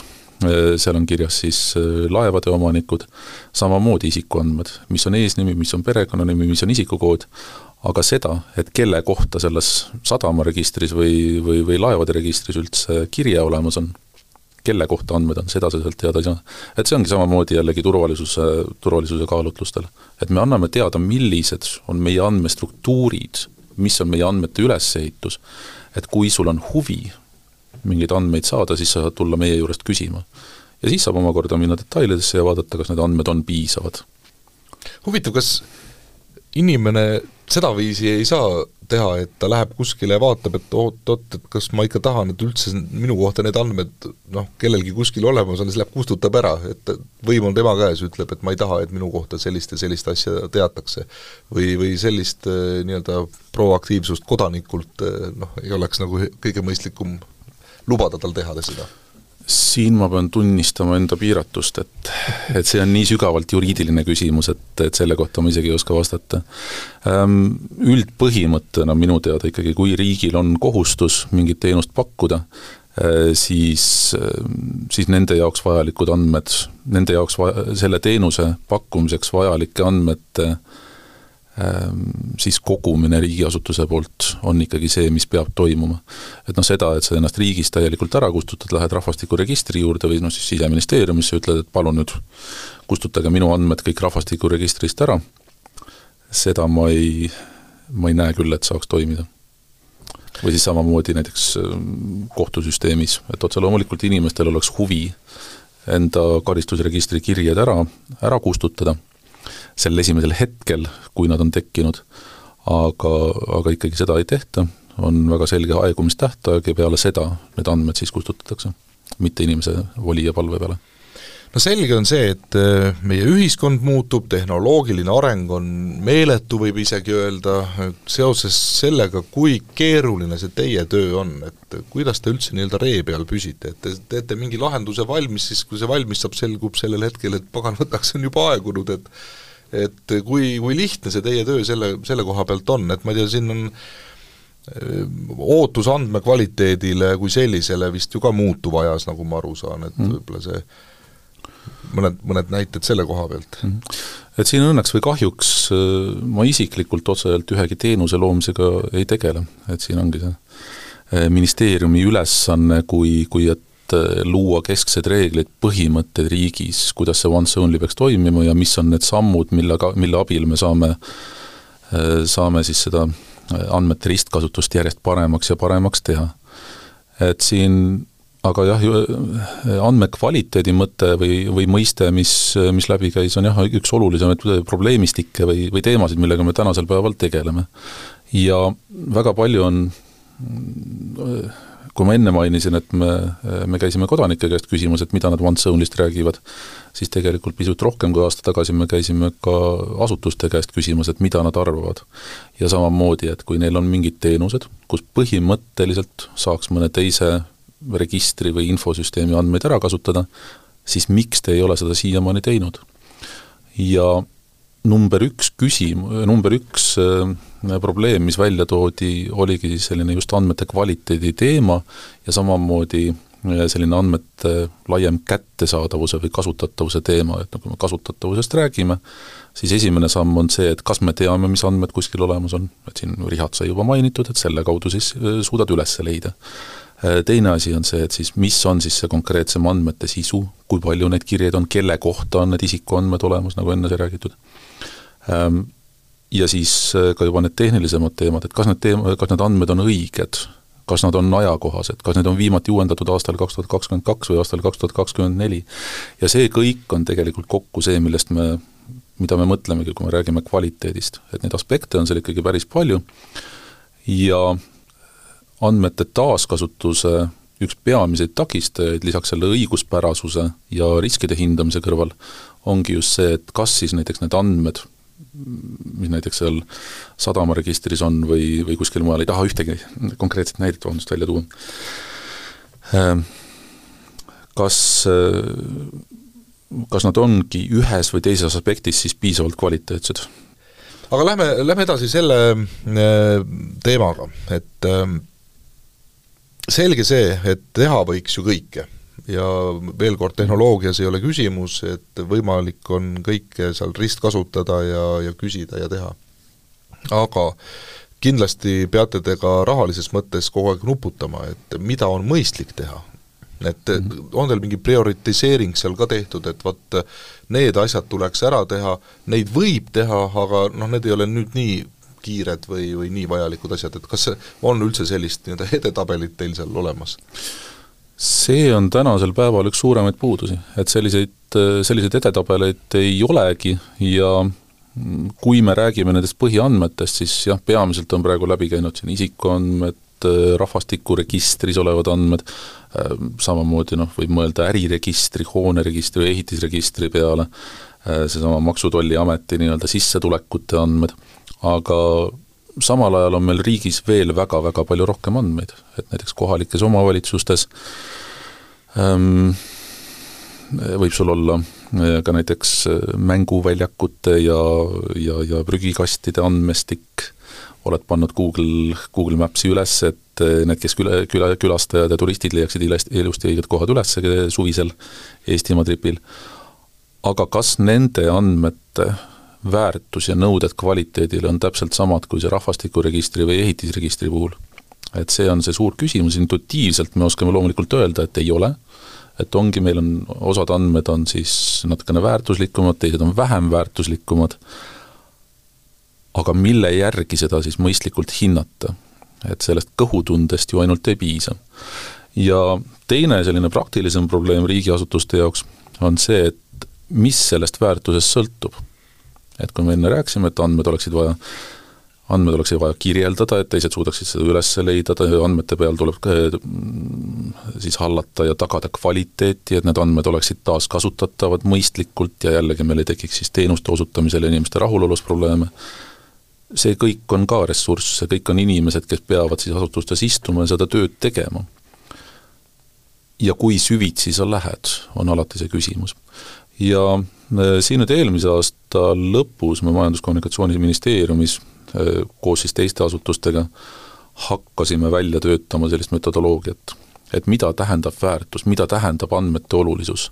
seal on kirjas siis laevade omanikud, samamoodi isikuandmed, mis on eesnimi, mis on perekonnanimi, mis on isikukood, aga seda, et kelle kohta selles sadamaregistris või laevade registris üldse kirja olemas on, kelle kohta andmed on, seda sealt teada ei saa. Et see ongi samamoodi jällegi turvalisuse kaalutlustel. Et me anname teada, millised on meie andmestruktuurid, mis on meie andmete ülesehitus. Et kui sul on huvi mingeid andmeid saada, siis sa saad tulla meie juurest küsima. Ja siis saab omakorda minna detailidesse ja vaadata, kas need andmed on piisavad. Huvitav, kas inimene seda viisi ei saa teha, et ta läheb kuskile ja vaatab, et et kas ma ikka tahan, et üldse minu kohta need andmed kellelgi kuskil olemas on, siis läheb kustutab ära, et võim on tema käes, ütleb, et ma ei taha, et minu kohta sellist asja teatakse. Või sellist nii-öelda proaktiivsust kodanikult ei oleks nagu kõige mõistlikum lubada tal teha seda. Siin ma pean tunnistama enda piiratust, et see on nii sügavalt juriidiline küsimus, et selle kohta ma isegi ei oska vastata. Üldpõhimõttena minu teada ikkagi, kui riigil on kohustus mingit teenust pakkuda, siis nende jaoks vajalikud andmed, nende jaoks selle teenuse pakkumiseks vajalike andmete siis kogumine riigiasutuse poolt on ikkagi see, mis peab toimuma. Et seda, et sa ennast riigist täielikult ära kustutad, lähed rahvastikuregistri juurde või siis Siseministeeriumisse ütled, et palun nüüd kustutage minu andmed kõik rahvastikuregistrist ära, seda ma ei näe küll, et saaks toimida. Või siis samamoodi näiteks kohtusüsteemis, et otse loomulikult inimestel oleks huvi enda karistusregistri kirjed ära kustutada, sel esimesel hetkel, kui nad on tekkinud, aga ikkagi seda ei tehta, on väga selge aegumistähtaeg ja peale seda need andmed siis kustutatakse, mitte inimese voli ja palve peale. No selge on see, et meie ühiskond muutub, tehnoloogiline areng on meeletu, võib isegi öelda, seoses sellega, kui keeruline see teie töö on, et kuidas te üldse nii-öelda ree peal püsite, et te teete mingi lahenduse valmis, siis kui see valmis saab, selgub sellel hetkel, et pagan võtaks on juba aegunud, et kui lihtne see teie töö selle koha pealt on, et ma ei tea, siin on ootus andmekvaliteedile kui sellisele vist ju ka muutuv ajas, nagu ma aru saan, et võib-olla see mõned näited selle koha pealt. Et siin õnneks või kahjuks ma isiklikult otseselt ühegi teenuse loomisega ei tegele, et siin ongi see ministeeriumi ülesanne, kui et luua kesksed reeglid, põhimõtted riigis, kuidas see once only peaks toimima ja mis on need sammud, mille abil me saame siis seda andmete ristkasutust järjest paremaks ja paremaks teha. Et siin, aga jah, andmekvaliteedi mõte või mõiste, mis läbi käis, on jah, üks olulisemaid probleemistikke või teemasid, millega me tänasel päeval tegeleme. Ja väga palju on kui ma enne mainisin, et me käisime kodanike käest küsimas, et mida nad once only'st räägivad, siis tegelikult pisut rohkem kui aasta tagasi me käisime ka asutuste käest küsimas, et mida nad arvavad. Ja samamoodi, et kui neil on mingid teenused, kus põhimõtteliselt saaks mõne teise registri või infosüsteemi andmeid ära kasutada, siis miks te ei ole seda siiamaani teinud? Ja number üks probleem, mis välja toodi, oligi selline just andmete kvaliteedi teema ja samamoodi selline andmete laiem kättesaadavuse või kasutatavuse teema, et kui me kasutatavusest räägime, siis esimene samm on see, et kas me teame, mis andmed kuskil olemas on, et siin RIHat sai juba mainitud, et selle kaudu siis suudad üles leida. Teine asi on see, et siis mis on siis see konkreetsem andmete sisu, kui palju neid kirjeid on, kelle kohta on need isikuandmed olemas, nagu enne sai räägitud. Ja siis ka juba need tehnilisemad teemad, et kas need andmed on õiged, kas nad on ajakohased, kas need on viimati uuendatud aastal 2022 või aastal 2024. Ja see kõik on tegelikult kokku see, mida me mõtlemegi, kui me räägime kvaliteedist. Et neid aspekte on seal ikkagi päris palju ja andmete taaskasutuse üks peamiseid takistajaid lisaks selle õiguspärasuse ja riskide hindamise kõrval ongi just see, et kas siis näiteks need andmed, mis näiteks seal sadamaregistris on või kuskil mujal, ei taha ühtegi konkreetset näidet välja tuua. Kas nad ongi ühes või teises aspektis siis piisavalt kvaliteetsed? Aga lähme edasi selle teemaga, et selge see, et teha võiks ju kõike ja veel kord tehnoloogias ei ole küsimus, et võimalik on kõike seal ristkasutada ja küsida ja teha. Aga kindlasti peate te ka rahalises mõttes kogu aeg nuputama, et mida on mõistlik teha. Et on teil mingi prioritiseering seal ka tehtud, et vaat need asjad tuleks ära teha, neid võib teha, aga need ei ole nüüd nii kiired või nii vajalikud asjad, et kas on üldse sellist edetabelit teil seal olemas? See on tänasel päeval üks suuremaid puudusi, et selliseid edetabeleid ei olegi ja kui me räägime nendest põhiandmetest, siis jah, peamiselt on praegu läbi käinud siin isikuandmed, rahvastikuregistris olevad andmed, samamoodi võib mõelda äriregistri, hooneregistri või ehitisregistri peale, seesama Maksu-Tolliameti nii-öelda sissetulekute andmed, aga samal ajal on meil riigis veel väga-väga palju rohkem andmeid, et näiteks kohalikes omavalitsustes võib sul olla ka näiteks mänguväljakute ja prügikastide andmestik, oled pannud Google Mapsi üles, et need, kes külastajad ja turistid leiaksid ilusti õiged kohad üles suvisel Eestimaa tripil. Aga kas nende andmete väärtus ja nõuded kvaliteedile on täpselt samad kui see rahvastikuregistri või ehitisregistri puhul? Et see on see suur küsimus, intuitiivselt me oskame loomulikult öelda, et ei ole, et ongi, meil on osad andmed on siis natukene väärtuslikumad, teised on vähem väärtuslikumad, aga mille järgi seda siis mõistlikult hinnata, et sellest kõhutundest ju ainult ei piisa. Ja teine selline praktilisem probleem riigiasutuste jaoks on see, et mis sellest väärtusest sõltub. Et kui me enne rääksime, et andmed oleksid vaja kirjeldada, et teised suudaksid seda üles leida, andmete peal tuleb siis hallata ja tagada kvaliteeti, et need andmed oleksid taas kasutatavad mõistlikult ja jällegi meil ei tekiks siis teenuste osutamisel ja inimeste rahulolus probleeme. See kõik on ka ressurss, see kõik on inimesed, kes peavad siis asutustes istuma ja seda tööd tegema. Ja kui süvitsi sa lähed, on alati see küsimus. Ja siin nüüd eelmise aasta lõpus me Majandus-Kommunikatsiooniministeeriumis koos siis teiste asutustega hakkasime välja töötama sellist metodoloogiat, et mida tähendab väärtus, mida tähendab andmete olulisus,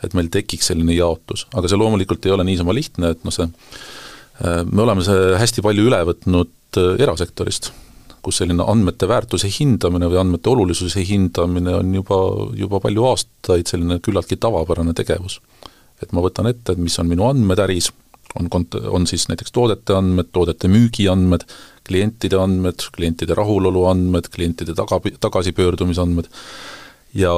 et meil tekiks selline jaotus. Aga see loomulikult ei ole niisama lihtne, et me oleme see hästi palju üle võtnud erasektorist, kus selline andmete väärtuse hindamine või andmete olulisuse hindamine on juba palju aastaid selline küllaltki tavapärane tegevus. Et ma võtan ette, et mis on minu andmed äris, on siis näiteks toodete andmed, toodete müügi andmed, klientide rahulolu andmed, klientide tagasipöördumisandmed ja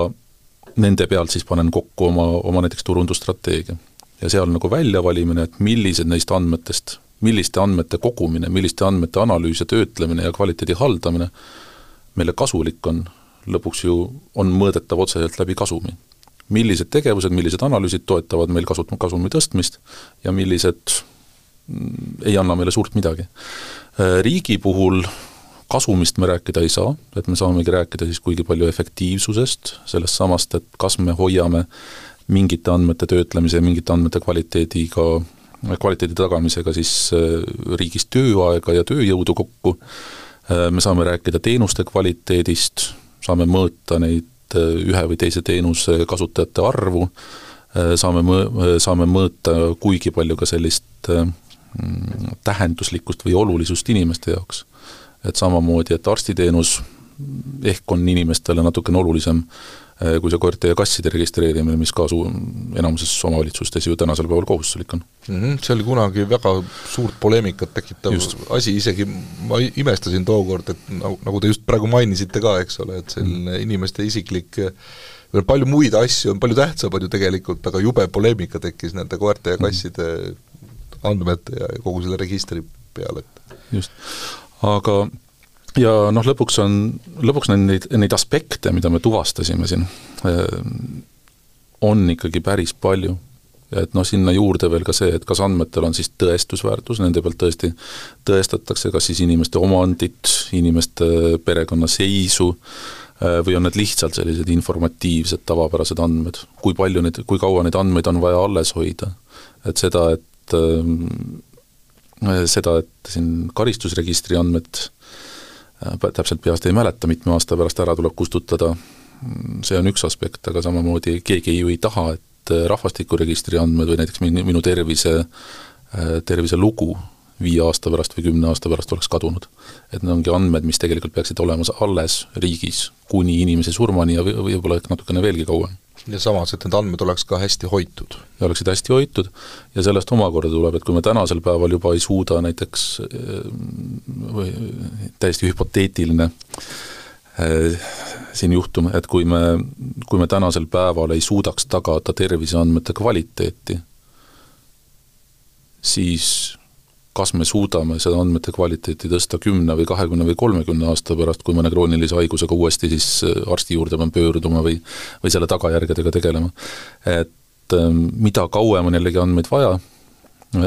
nende pealt siis panen kokku oma näiteks turundusstrateegia. Ja seal väljavalimine, et millised neist andmetest, milliste andmete kogumine, milliste andmete analüüs ja töötlemine ja kvaliteedi haldamine meile kasulik on, lõpuks ju on mõõdetav otseselt läbi kasumi. Millised tegevused, millised analüüsid toetavad meil kasumi tõstmist ja millised ei anna meile suurt midagi. Riigi puhul kasumist me rääkida ei saa, et me saamegi rääkida siis kuigi palju efektiivsusest, sellest samast, et kas me hoiame mingite andmete töötlemise ja mingite andmete kvaliteedi tagamisega siis riigis tööaega ja tööjõudu kokku. Me saame rääkida teenuste kvaliteedist, saame mõõta neid ühe või teise teenuse kasutajate arvu, saame mõõta kuigi palju ka sellist tähenduslikkust või olulisust inimeste jaoks. Et samamoodi, et arstiteenus ehk on inimestele natukene olulisem kui see koerte ja kasside registreerimine, mis ka enamuses omavalitsustes ju tänasel päeval kohustuslik on. See oli kunagi väga suurt poleemikat tekitav asi, isegi ma imestasin tookord, et nagu te just praegu mainisite ka, eks ole, et selline inimeste isiklik, palju muid asju on, palju tähtsamad ju tegelikult, aga jube poleemika tekkis nende koerte ja kasside andmete ja kogu selle registri peale. Just, aga ja lõpuks neid aspekte, mida me tuvastasime siin, on ikkagi päris palju. Et sinna juurde veel ka see, et kas andmetel on siis tõestusväärtus, nende pealt tõesti tõestatakse kas siis inimeste omandit, inimeste perekonnaseisu või on need lihtsalt sellised informatiivsed, tavapärased andmed. Kui kaua neid andmeid on vaja alles hoida. Et seda, et siin karistusregistri andmed täpselt peast ei mäleta, mitme aasta pärast ära tuleb kustutada, see on üks aspekt, aga samamoodi keegi ju ei taha, et rahvastikuregistri andmed või näiteks minu tervise lugu 5 aasta pärast või 10 aasta pärast oleks kadunud. Et need ongi andmed, mis tegelikult peaksid olema alles riigis kuni inimese surmani ja võib-olla natukene veelgi kauem. Ja samas, et need andmed oleks ka hästi hoitud. Ja oleksid hästi hoitud ja sellest omakorda tuleb, et kui me tänasel päeval juba ei suuda näiteks või täiesti hüpoteetiline siin juhtum, et kui me tänasel päeval ei suudaks tagada terviseandmete kvaliteeti, siis kas me suudame seda andmete kvaliteeti tõsta 10 või 20 või 30 aasta pärast, kui mõne kroonilise haigusega uuesti siis arsti juurde pean pöörduma või selle tagajärgedega tegelema. Et mida kauem on jällegi andmeid vaja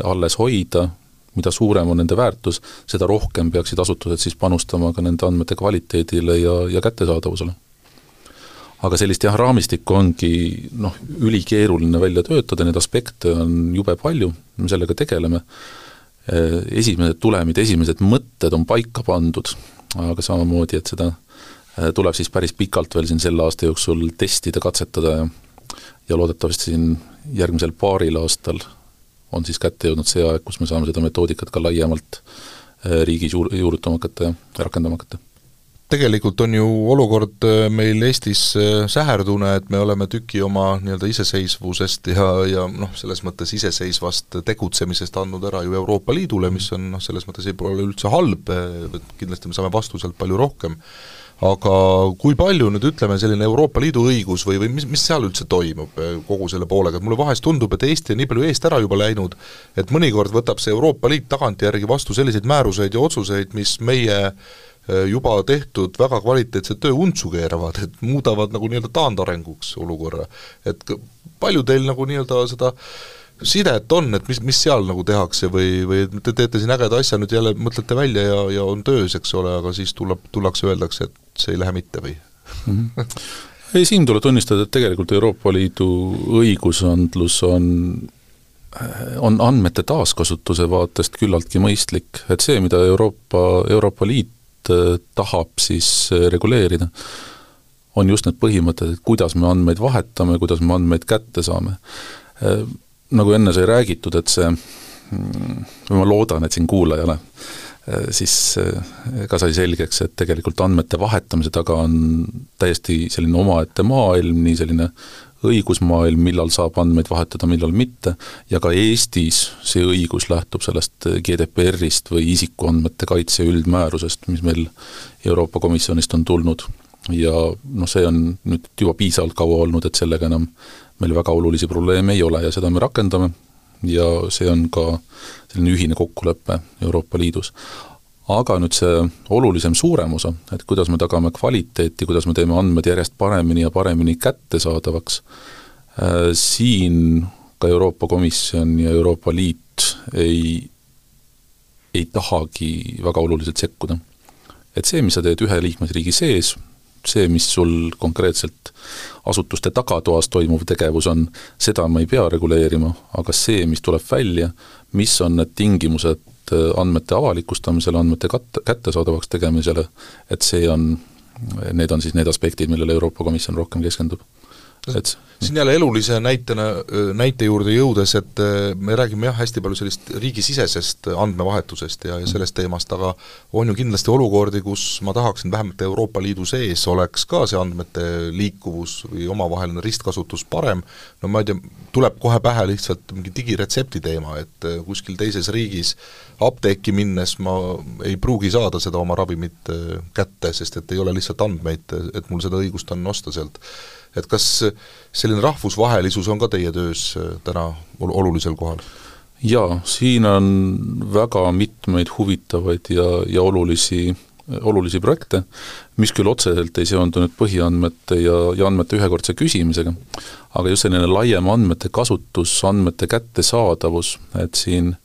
alles hoida, mida suurem on nende väärtus, seda rohkem peaksid asutused siis panustama ka nende andmete kvaliteedile ja kättesaadavusele. Aga sellist raamistikku ongi ülikeeruline välja töötada, need aspekte on jube palju, me sellega tegeleme. Esimesed tulemid, esimesed mõtted on paika pandud, aga samamoodi, et seda tuleb siis päris pikalt veel siin selle aasta jooksul testida, katsetada ja loodetavasti siin järgmisel paaril aastal on siis kätte jõudnud see aeg, kus me saame seda metoodikat ka laiemalt riigis juurutama hakata ja rakendama hakata. Tegelikult on ju olukord meil Eestis säherdune, et me oleme tüki oma nii-öelda iseseisvusest ja selles mõttes iseseisvast tegutsemisest andnud ära ju Euroopa Liidule, mis on selles mõttes ei ole üldse halb, kindlasti me saame vastuselt palju rohkem. Aga kui palju nüüd ütleme selline Euroopa Liidu õigus või mis seal üldse toimub kogu selle poolega, et mulle vahest tundub, et Eesti on nii palju eest ära juba läinud, et mõnikord võtab see Euroopa Liit tagantjärgi vastu selliseid määruseid ja otsuseid, mis meie juba tehtud väga kvaliteetset töö untsu keeravad, et muudavad nagu nii-öelda taandarenguks olukorra. Et palju teil nagu nii-öelda seda sidet on, et mis seal nagu tehakse või te teete siin ägeda asja, nüüd jälle mõtlete välja ja on töös, eks ole, aga siis tullakse öeldakse, et see ei lähe mitte või? Ei, siin tuleb tunnistada, et tegelikult Euroopa Liidu õigusandlus on andmete taaskasutuse vaatest küllaltki mõistlik, et see, mida Euroopa Liit tahab siis reguleerida, on just need põhimõtted, et kuidas me andmeid vahetame, kuidas me andmeid kätte saame. Nagu enne sai räägitud, et see, või ma loodan, et siin kuulajale, siis ka sai selgeks, et tegelikult andmete vahetamise taga on täiesti selline omaette maailm, nii selline õigusmaailm, millal saab andmeid vahetada, millal mitte, ja ka Eestis see õigus lähtub sellest GDPR-ist või isikuandmete kaitse üldmäärusest, mis meil Euroopa Komisjonist on tulnud. Ja see on nüüd juba piisavalt kaua olnud, et sellega enam meil väga olulisi probleeme ei ole ja seda me rakendame ja see on ka selline ühine kokkulepe Euroopa Liidus. Aga nüüd see olulisem suurem osa, et kuidas me tagame kvaliteeti, kuidas me teeme andmed järjest paremini ja paremini kättesaadavaks, siin ka Euroopa Komisjon ja Euroopa Liit ei tahagi väga oluliselt sekkuda. Et see, mis sa teed ühe liikmesriigi sees, see, mis sul konkreetselt asutuste tagatoas toimuv tegevus on, seda ma ei pea reguleerima, aga see, mis tuleb välja, mis on need tingimused andmete avalikustamisele, andmete kättesaadavaks tegemisele, et need on siis need aspektid, millele Euroopa Komisjon rohkem keskendub. siin jälle elulise näite juurde jõudes, et me räägime hästi palju sellist riigisisesest andmevahetusest ja sellest teemast, aga on ju kindlasti olukordi, kus ma tahaksin vähemalt Euroopa Liidu sees oleks ka see andmete liikuvus või omavaheline ristkasutus parem, no ma ei tea, tuleb kohe pähe lihtsalt mingi digiretsepti teema, et kuskil teises riigis apteeki minnes ma ei pruugi saada seda oma ravimit kätte, sest et ei ole lihtsalt andmeid, et mul seda õigust on osta sealt. Et kas selline rahvusvahelisus on ka teie töös täna olulisel kohal? Jaa, siin on väga mitmeid huvitavaid ja olulisi projekte, mis küll otseselt ei seondu nüüd põhiandmete ja andmete ühekordse küsimisega, aga just selline laiem andmete kasutus, andmete kättesaadavus, et siin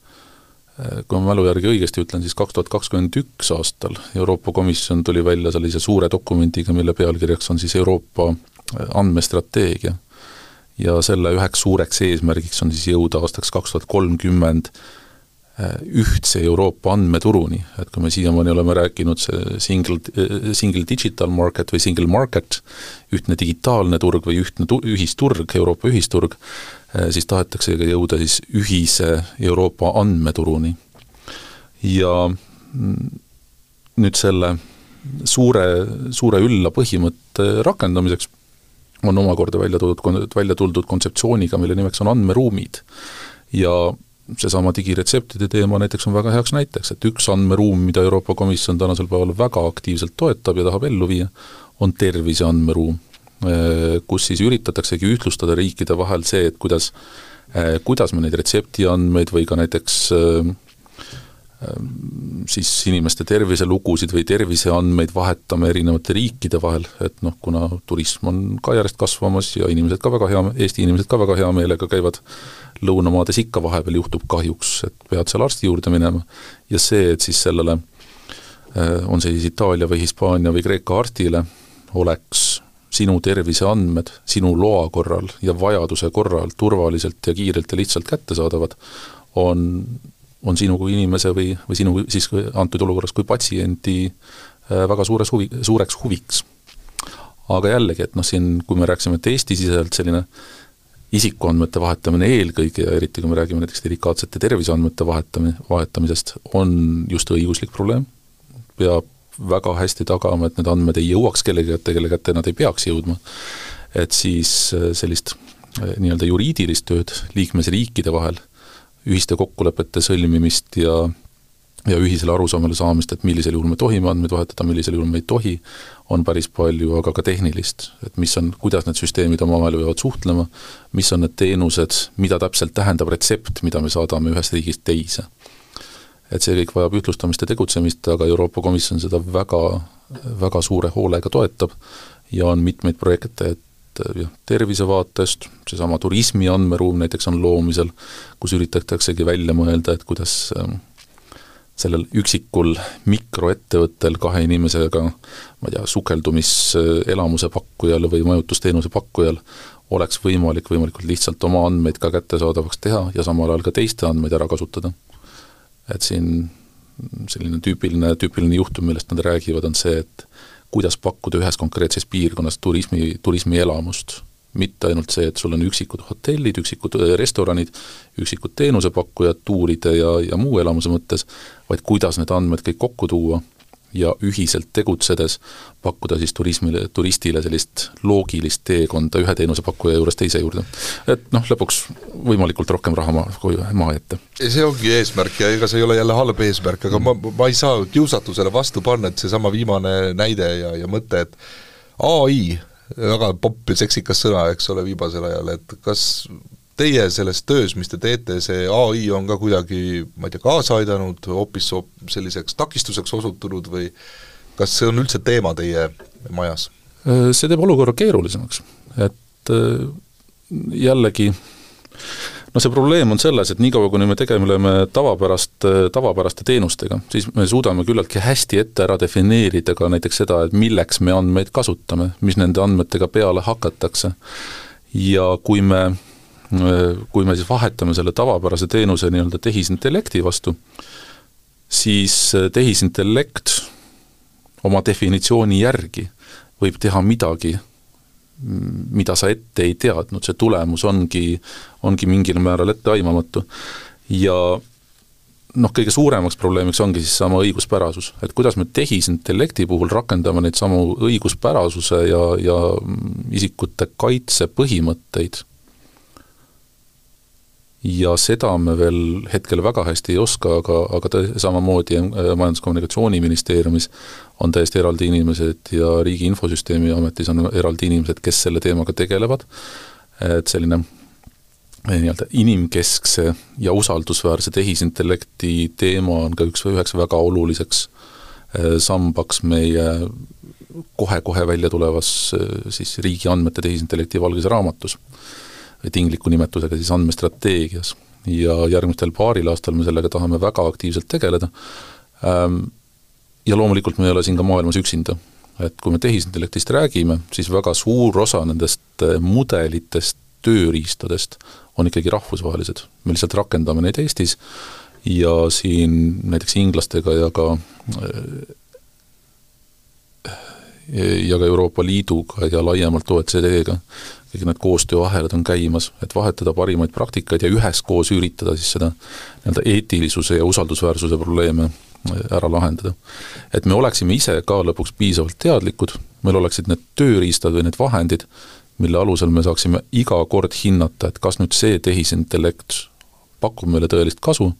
kui ma mälu järgi õigesti ütlen, siis 2021 aastal Euroopa Komisjon tuli välja sellise suure dokumendiga, mille pealkirjaks on siis Euroopa andmestrateegia ja selle üheks suureks eesmärgiks on siis jõuda aastaks 2030 ühtse Euroopa andmeturuni, et kui me siiamaani oleme rääkinud see single digital market või single market, ühtne digitaalne turg või ühtne ühisturg, Euroopa ühisturg, siis tahetakse jõuda siis ühise Euroopa andmeturuni. Ja nüüd selle suure ülla põhimõtte rakendamiseks on omakorda välja tuldud kontseptsiooniga, mille nimeks on andmeruumid. Ja seesama digiretseptide teema näiteks on väga heaks näiteks, et üks andmeruum, mida Euroopa Komisjon tänasel päeval väga aktiivselt toetab ja tahab ellu viia, on tervise andmeruum, kus siis üritataksegi ühtlustada riikide vahel see, et kuidas me neid retseptiandmeid või ka näiteks siis inimeste terviselugusid või terviseandmeid vahetame erinevate riikide vahel, et kuna turism on ka järjest kasvamas ja Eesti inimesed ka väga hea meelega käivad lõunamaades ikka vahepeal juhtub kahjuks, et pead seal arsti juurde minema ja see, et siis sellele on see siis Itaalia või Hispaania või Kreeka arstile oleks sinu terviseandmed sinu loa korral ja vajaduse korral turvaliselt ja kiirelt ja lihtsalt kättesaadavad, on sinu kui inimese või sinu siis antud olukorras kui patsiendi väga suureks huviks. Aga jällegi, et siin, kui me rääksime, et Eesti-siselt selline isikuandmete vahetamine eelkõige ja eriti, kui me räägime näiteks delikaatsete terviseandmete vahetamisest, on just õiguslik probleem. Peab väga hästi tagama, et need andmed ei jõuaks kelle kätte nad ei peaks jõudma. Et siis sellist nii-öelda juriidilist tööd liikmesriikide vahel, ühiste kokkulepete sõlmimist ja ühisele arusaamale saamist, et millisel juhul me tohime andmeid vahetada, millisel juhul me ei tohi, on päris palju, aga ka tehnilist, et kuidas need süsteemid omavahel võivad suhtlema, mis on need teenused, mida täpselt tähendab retsept, mida me saadame ühest riigist teise. Et see kõik vajab ühtlustamist ja tegutsemist, aga Euroopa Komisjon seda väga, väga suure hoolega toetab ja on mitmeid projekte, tervisevaatest, seesama turismi andmeruum näiteks on loomisel, kus üritataksegi välja mõelda, et kuidas sellel üksikul mikroettevõttel kahe inimesega, ma ei tea, sukeldumiselamuse pakkujal või majutusteenuse pakkujal oleks võimalikult lihtsalt oma andmeid ka kättesaadavaks teha ja samal ajal ka teiste andmeid ära kasutada. Et siin selline tüüpiline juhtum, millest nad räägivad, on see, et kuidas pakkuda ühes konkreetses piirkonnas turismi elamust. Mitte ainult see, et sul on üksikud hotellid, üksikud restoranid, üksikud teenusepakkujad tuuride ja muu elamuse mõttes, vaid kuidas need andmed kõik kokku tuua ja ühiselt tegutsedes pakkuda siis turistile sellist loogilist teekonda ühe teenusepakkuja juures teise juurde. Et lõpuks võimalikult rohkem raha maa ette. See ongi eesmärk ja ega see ei ole jälle halb eesmärk, aga ma ei saa kiusatusele vastu panna, et see sama viimane näide ja mõte, et AI, väga popp ja seksikas sõna, eks ole, viimasel ajal, et kas teie selles töös, mis te teete, see AI on ka kuidagi, ma ei tea, kaasa aidanud, hoopis selliseks takistuseks osutunud või kas see on üldse teema teie majas? See teeb olukorra keerulisemaks, et jällegi see probleem on selles, et niikaua kuni me tegeleme tavapäraste teenustega, siis me suudame küllaltki hästi ette ära defineerida ka näiteks seda, et milleks me andmeid kasutame, mis nende andmetega peale hakatakse ja kui me siis vahetame selle tavapärase teenuse nii-öelda tehisintellekti vastu, siis tehisintellekt oma definitsiooni järgi võib teha midagi, mida sa ette ei teadnud, see tulemus ongi mingil määral etteaimamatu. Ja kõige suuremaks probleemiks ongi siis sama õiguspärasus, et kuidas me tehisintellekti puhul rakendame neid samu õiguspärasuse ja isikute kaitse põhimõtteid. Ja seda me veel hetkel väga hästi ei oska, aga samamoodi Majandus-Kommunikatsiooniministeeriumis on täiesti eraldi inimesed ja Riigi Infosüsteemi Ametis on eraldi inimesed, kes selle teemaga tegelevad. Et selline inimkeskse ja usaldusväärse tehisintellekti teema on ka üheks väga oluliseks sambaks meie kohe välja tulevas siis riigi andmete tehisintellekti valges raamatus. Tingliku nimetusega siis andmestrateegias ja järgmistel paaril aastal me sellega tahame väga aktiivselt tegeleda ja loomulikult me ei ole siin ka maailmas üksinda, et kui me tehisintellektist räägime, siis väga suur osa nendest mudelitest, tööriistadest on ikkagi rahvusvahelised, me lihtsalt rakendame neid Eestis ja siin näiteks inglastega ja ka Euroopa Liiduga ja laiemalt OECD-ga kõik need koostööahelad on käimas, et vahetada parimaid praktikaid ja üheskoos üritada siis seda eetilisuse ja usaldusväärsuse probleeme ära lahendada. Et me oleksime ise ka lõpuks piisavalt teadlikud, meil oleksid need tööriistad või need vahendid, mille alusel me saaksime iga kord hinnata, et kas nüüd see tehisintellekt pakub meile tõelist kasu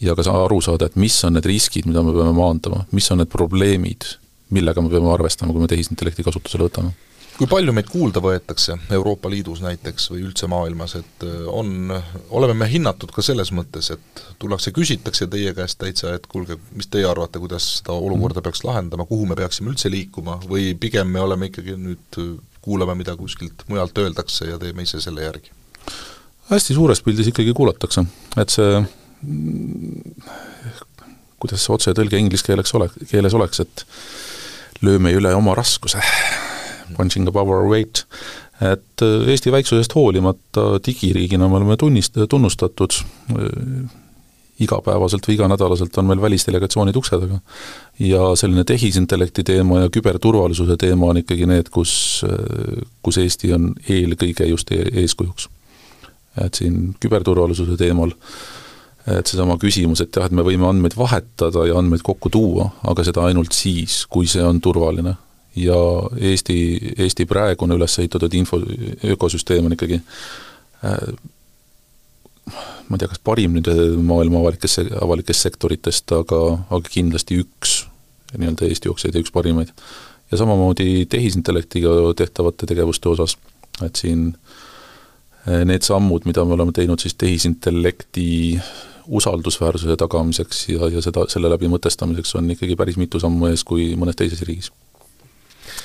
ja ka aru saada, et mis on need riskid, mida me peame maandama, mis on need probleemid, millega me peame arvestama, kui me tehisintellekti kasutusele võtame. Kui palju meid kuulda võetakse Euroopa Liidus näiteks või üldse maailmas, et oleme me hinnatud ka selles mõttes, et tullakse küsitakse teie käest täitsa, et kuulge, mis teie arvate, kuidas seda olukorda peaks lahendama, kuhu me peaksime üldse liikuma või pigem me oleme ikkagi nüüd kuulame, mida kuskilt mujalt öeldakse ja teeme ise selle järgi? Hästi suures pildis ikkagi kuulatakse, et see kuidas see otsetõlge inglise keeles oleks, et lööme üle oma raskuse punching above our weight, et Eesti väiksusest hoolimata digiriigina me oleme tunnustatud, igapäevaselt või iganädalaselt on meil välisdelegatsioonid uksedega ja selline tehisintellekti teema ja küberturvalisuse teema on ikkagi need, kus Eesti on eelkõige just eeskujuks. Et siin küberturvalisuse teemal et seesama küsimus, et me võime andmeid vahetada ja andmeid kokku tuua, aga seda ainult siis, kui see on turvaline. Ja Eesti praegune üles ehitatud ökosüsteem on ikkagi ma ei tea, kas parim nüüd maailma avalikest sektoritest, aga kindlasti üks Eesti jookseid ja üks parimaid. Ja samamoodi tehisintellektiga tehtavate tegevuste osas, et siin need sammud, mida me oleme teinud siis tehisintellekti usaldusväärsuse tagamiseks ja selle läbi mõtestamiseks on ikkagi päris mitu sammu ees kui mõnes teises riigis.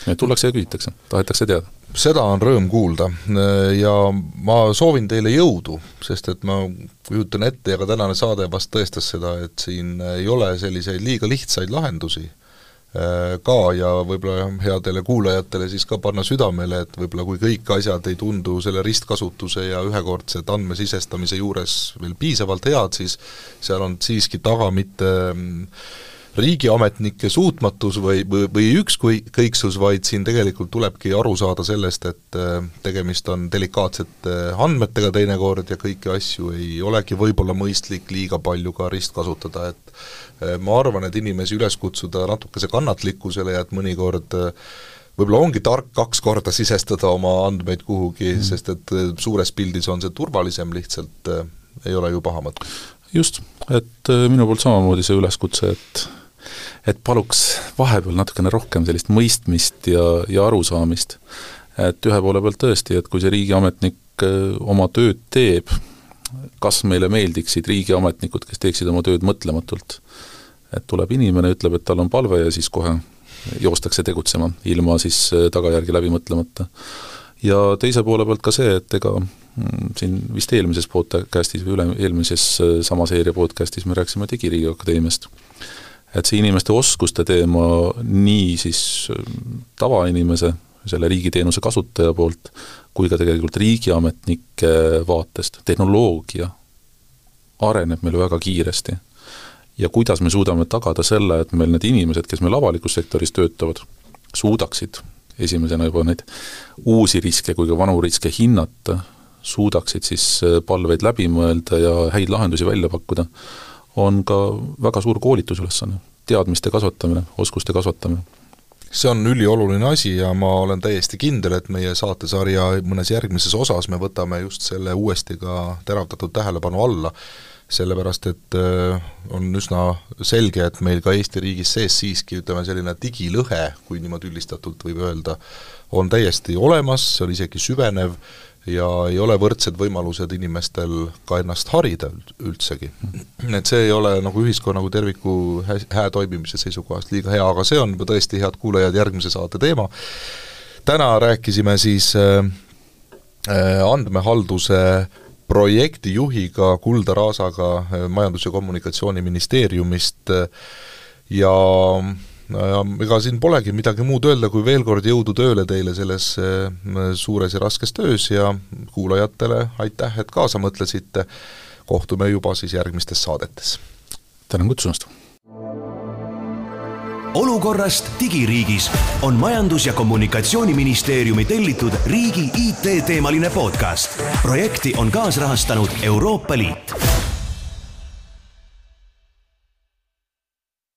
Tullakse ja küsitakse, tahetakse teada. Seda on rõõm kuulda ja ma soovin teile jõudu, sest et ma kujutan ette ja ka tänane saade vast tõestas seda, et siin ei ole selliseid liiga lihtsaid lahendusi ka ja võib-olla headele kuulajatele siis ka panna südamele, et võib-olla kui kõik asjad ei tundu selle ristkasutuse ja ühekordset andmesisestamise juures veel piisavalt head, siis seal on siiski taga mitte riigiametnike suutmatus või ükskõiksus, vaid siin tegelikult tulebki aru saada sellest, et tegemist on delikaatsete andmetega teinekord ja kõiki asju ei olegi võib-olla mõistlik liiga palju ka ristkasutada, et ma arvan, et inimesi üles kutsuda natukese kannatlikkusele ja et mõnikord võib-olla ongi tark 2 korda sisestada oma andmeid kuhugi, sest et suures pildis on see turvalisem, lihtsalt ei ole ju paha mõte. Just, et minu poolt samamoodi see üleskutse, et paluks vahepeal natukene rohkem sellist mõistmist ja arusaamist. Et ühe poole pealt tõesti, et kui see riigiametnik oma tööd teeb, kas meile meeldiksid riigiametnikud, kes teeksid oma tööd mõtlematult. Et tuleb inimene, ütleb, et tal on palve ja siis kohe joostakse tegutsema, ilma siis tagajärgi läbi mõtlemata. Ja teise poole pealt ka see, et ega siin vist eelmises podcastis või eelmises sama seeria podcastis me rääksime Digiriigi Akadeemiast. Et see inimeste oskuste teema nii siis tavainimese, selle riigiteenuse kasutaja poolt, kui ka tegelikult riigiametnike vaatest. Tehnoloogia areneb meil väga kiiresti. Ja kuidas me suudame tagada selle, et meil need inimesed, kes meil avalikus sektoris töötavad, suudaksid esimesena juba neid uusi riske kui ka vanu riske hinnata, suudaksid siis palveid läbi mõelda ja häid lahendusi välja pakkuda, on ka väga suur koolitusülesanne, teadmiste kasvatamine, oskuste kasvatamine. See on ülioluline asi ja ma olen täiesti kindel, et meie saatesarja mõnes järgmises osas me võtame just selle uuesti ka teravdatud tähelepanu alla, sellepärast et on üsna selge, et meil ka Eesti riigis sees siiski selline digilõhe, kui niimoodi üldistatult võib öelda, on täiesti olemas, see on isegi süvenev ja ei ole võrdsed võimalused inimestel ka ennast harida üldsegi. Et see ei ole nagu ühiskonna kui terviku hää toimimise seisukohast liiga hea, aga see on tõesti, head kuulajad, järgmise saate teema. Täna rääkisime siis andmehalduse projektijuhiga Kulda Raasaga Majandus- ja Kommunikatsiooniministeeriumist ja ega siin polegi midagi muud öelda, kui veel kord jõudu tööle teile selles suures ja raskes töös ja kuulajatele aitäh, et kaasa mõtlesite. Kohtume juba siis järgmistes saadetes. Tänan kutsumast! Olukorrast digiriigis on Majandus- ja Kommunikatsiooniministeeriumi tellitud riigi IT-teemaline podcast. Projekti on kaasrahastanud Euroopa Liit.